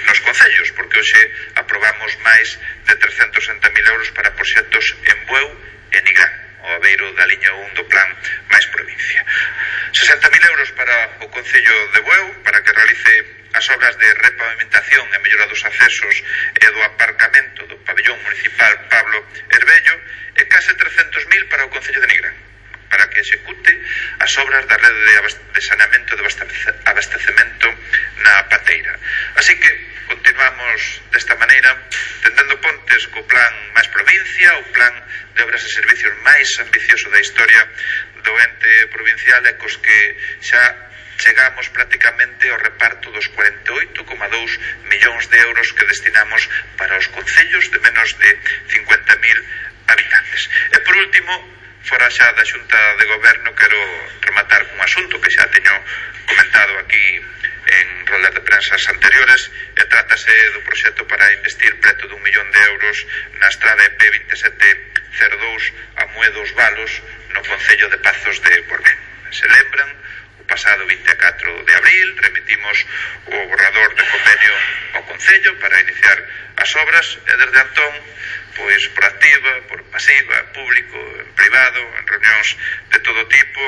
nos concellos, porque hoxe aprobamos máis de 360.000 euros para proxectos en Bueu e Nigrán, o abeiro da liña 1 do plan máis provincia. 60.000 euros para o Concello de Bueu para que realice as obras de repavimentación e mellora dos accesos e do aparcamento do pabellón municipal Pablo Herbello, e case 300.000 para o Concello de Nigrán para que execute as obras da rede de saneamento e de abastecemento na Pateira. Así que continuamos desta maneira, tendendo pontes co plan máis provincia, o plan de obras e servicios máis ambicioso da historia do ente provincial e cos que xa chegamos prácticamente ao reparto dos 48,2 millóns de euros que destinamos para os concellos de menos de 50.000 habitantes. E por último, fora xa da Xunta de Goberno, quero rematar cun asunto que xa teño comentado aquí en rolas de prensas anteriores, e trátase do proxecto para investir preto de 1 millón de euros na estrada EP 2702 a Mué dos Valos no Concello de Pazos de Borbén. Se lembran, o pasado 24 de abril remitimos o borrador de convenio ao Concello para iniciar as obras e desde entón, pois por activa, por pasiva, público, en privado, en reunións de todo tipo,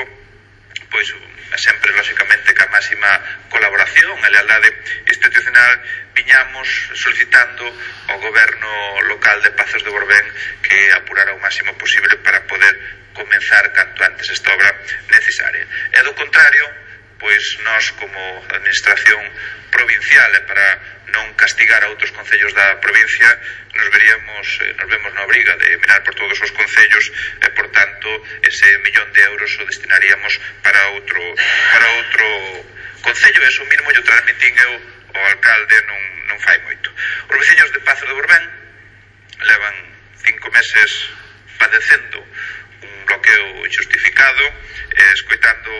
pois sempre, lóxicamente, ca máxima colaboración e lealdade institucional, viñamos solicitando ao goberno local de Pazos de Borbén que apurara o máximo posible para poder comenzar canto antes esta obra necesaria. E do contrario, pois nós como administración provincial e para non castigar a outros concellos da provincia nos vemos na obriga de mirar por todos os concellos e por tanto ese 1 millón de euros o destinaríamos para outro concello. Eso mismo yo transmitín eu o alcalde non fai moito. Os veciños de Pazos de Borbén levan 5 meses padecendo un bloqueo injustificado, escoitando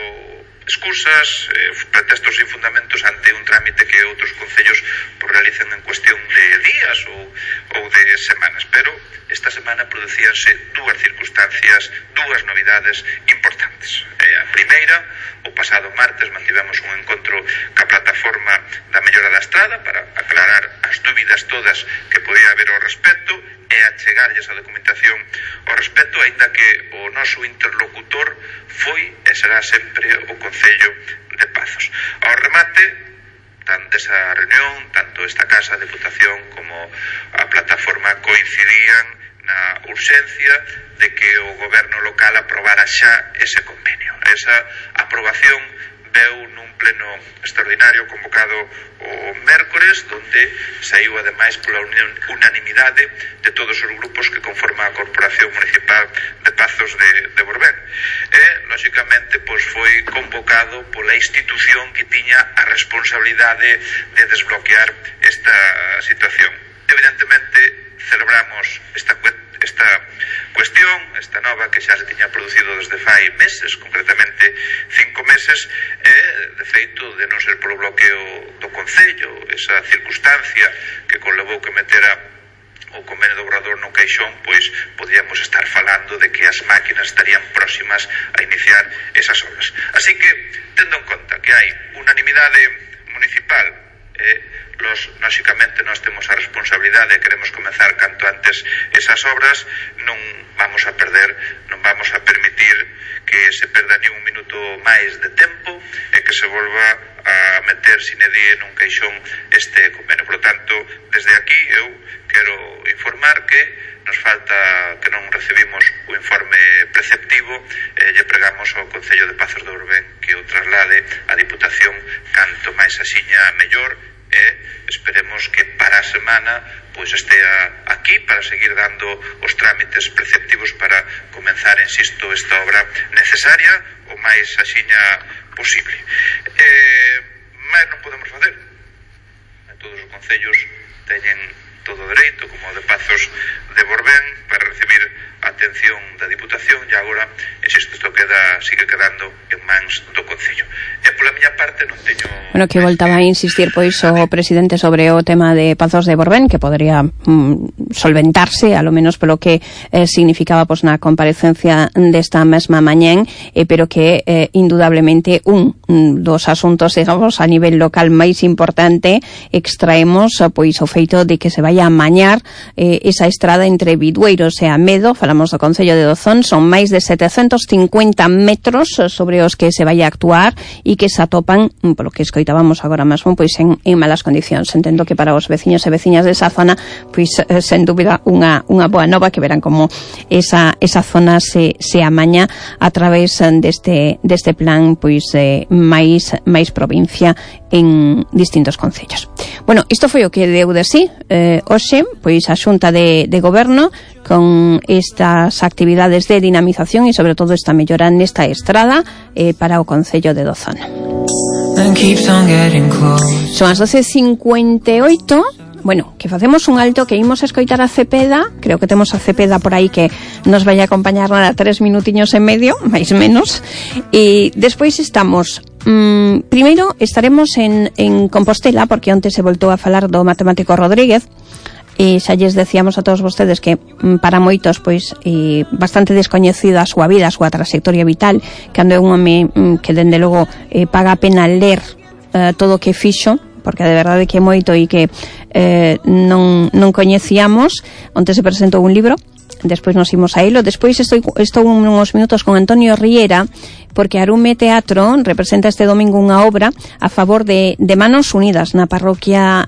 excusas, pretextos sin fundamentos ante un trámite que outros concellos realizan en cuestión de días ou de semanas, pero esta semana producíanse dúas circunstancias, dúas novidades importantes. A primeira, o pasado martes mantivemos un encontro ca plataforma da mellora da estrada para aclarar as dúbidas todas que podía haber ao respecto e achegarlles a documentación ao respecto, aínda que o noso interlocutor foi e será sempre o Concello de Pazos. Ao remate desa reunión, tanto esta Casa, a Deputación como a plataforma coincidían na urxencia de que o goberno local aprobara xa ese convenio. Esa aprobación veu nun pleno extraordinario convocado o mércores, donde saiu ademais pola unanimidade de todos os grupos que conforman a Corporación Municipal de Pazos de Borbén. E, lóxicamente, foi convocado pola institución que tiña a responsabilidade de desbloquear esta situación. Evidentemente, celebramos esta cuestión, esta nova que xa se tiña producido desde fai meses, concretamente 5 meses, e de feito de non ser polo bloqueo do Concello, esa circunstancia que conlevou que metera o convenio do Obrador no caixón, pois podíamos estar falando de que as máquinas estarían próximas a iniciar esas obras. Así que, tendo en conta que hai unanimidade municipal, lóxicamente nós temos a responsabilidade e queremos comenzar canto antes esas obras, non vamos a permitir que se perda ni un minuto máis de tempo e que se volva a meter sine die nun caixón este convenio. Por lo tanto, desde aquí eu quero informar que nos falta, que non recibimos o informe preceptivo, lle pregamos ao Concello de Pazos de Borbén que o traslade á Diputación canto máis axiña mellor, e esperemos que para a semana pois estea aquí para seguir dando os trámites preceptivos para comenzar, insisto, esta obra necesaria o máis axiña posible. Mais non podemos facer. Todos os concellos teñen todo o dereito, como o de Pazos de Borbén, para recibir a atención da Diputación, e agora, insisto, isto sigue quedando en mans do Concello. E pola miña parte non teño... Bueno, que voltaba a insistir pois o presidente sobre o tema de Pazos de Borbén, que podría solventarse, a lo menos polo que significaba pois na comparecencia desta mesma mañán, pero que indudablemente un dos asuntos, digamos, a nivel local máis importante extraemos pois o feito de que se vai a amañar esa estrada entre Bidueiros e Amedo. Falamos do Concello de Dozón, son máis de 750 metros sobre os que se vai a actuar e que se atopan, polo que escoitábamos agora mesmo, pois en malas condicións. Entendo que para os veciños e veciñas desa zona, pois sen dúbida unha boa nova, que verán como esa zona se amaña a través deste plan pois máis provincia en distintos concellos. Bueno, isto foi o que deu de sí hoxe, pois a Xunta de Goberno con estas actividades de dinamización e sobre todo esta mellora nesta estrada para o Concello de Dozón. Son as 12:58. Bueno, que facemos un alto, que imos a escoitar a Cepeda. Creo que temos a Cepeda por aí que nos vai a acompañar nada 3 minutiños e medio, máis menos. E despois estamos... primeiro estaremos en Compostela, porque onte se voltou a falar do matemático Rodríguez. E xa lles decíamos a todos vostedes que para moitos pois bastante descoñecida a súa vida, a súa trayectoria vital, cando é un home que dende logo paga a pena ler todo o que fixo, porque de verdade que é moito e que non coñecíamos. Onte se presentou un libro, despois nos imos a elo. Despois estou uns minutos con Antonio Riera, porque Arume Teatro representa este domingo unha obra a favor de Manos Unidas na parroquia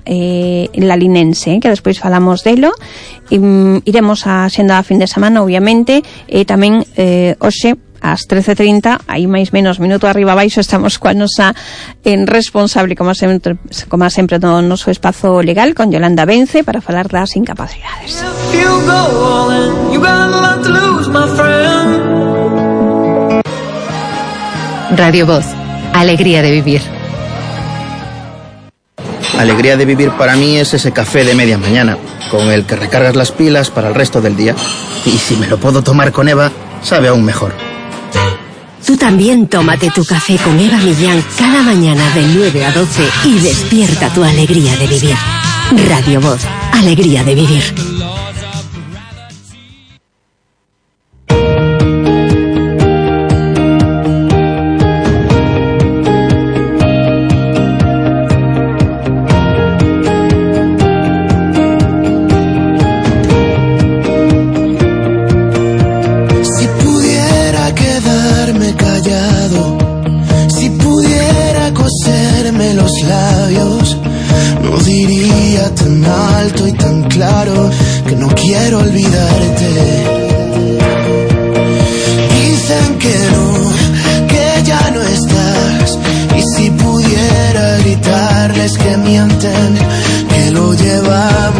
lalinense, que despois falamos delo. Iremos a xenda a fin de semana, obviamente, e tamén hoxe ás 13:30, aí máis menos minuto arriba abaixo, estamos coa nosa responsable, como sempre do noso espazo legal, con Yolanda Vence, para falar das incapacidades. Radio Voz, alegría de vivir. Alegría de vivir para mí es ese café de media mañana, con el que recargas las pilas para el resto del día. Y si me lo puedo tomar con Eva, sabe aún mejor. Tú también tómate tu café con Eva Millán cada mañana de 9 a 12 y despierta tu alegría de vivir. Radio Voz, alegría de vivir. Que no quiero olvidarte. Dicen que no, que ya no estás. Y si pudiera gritarles que mienten, que lo llevamos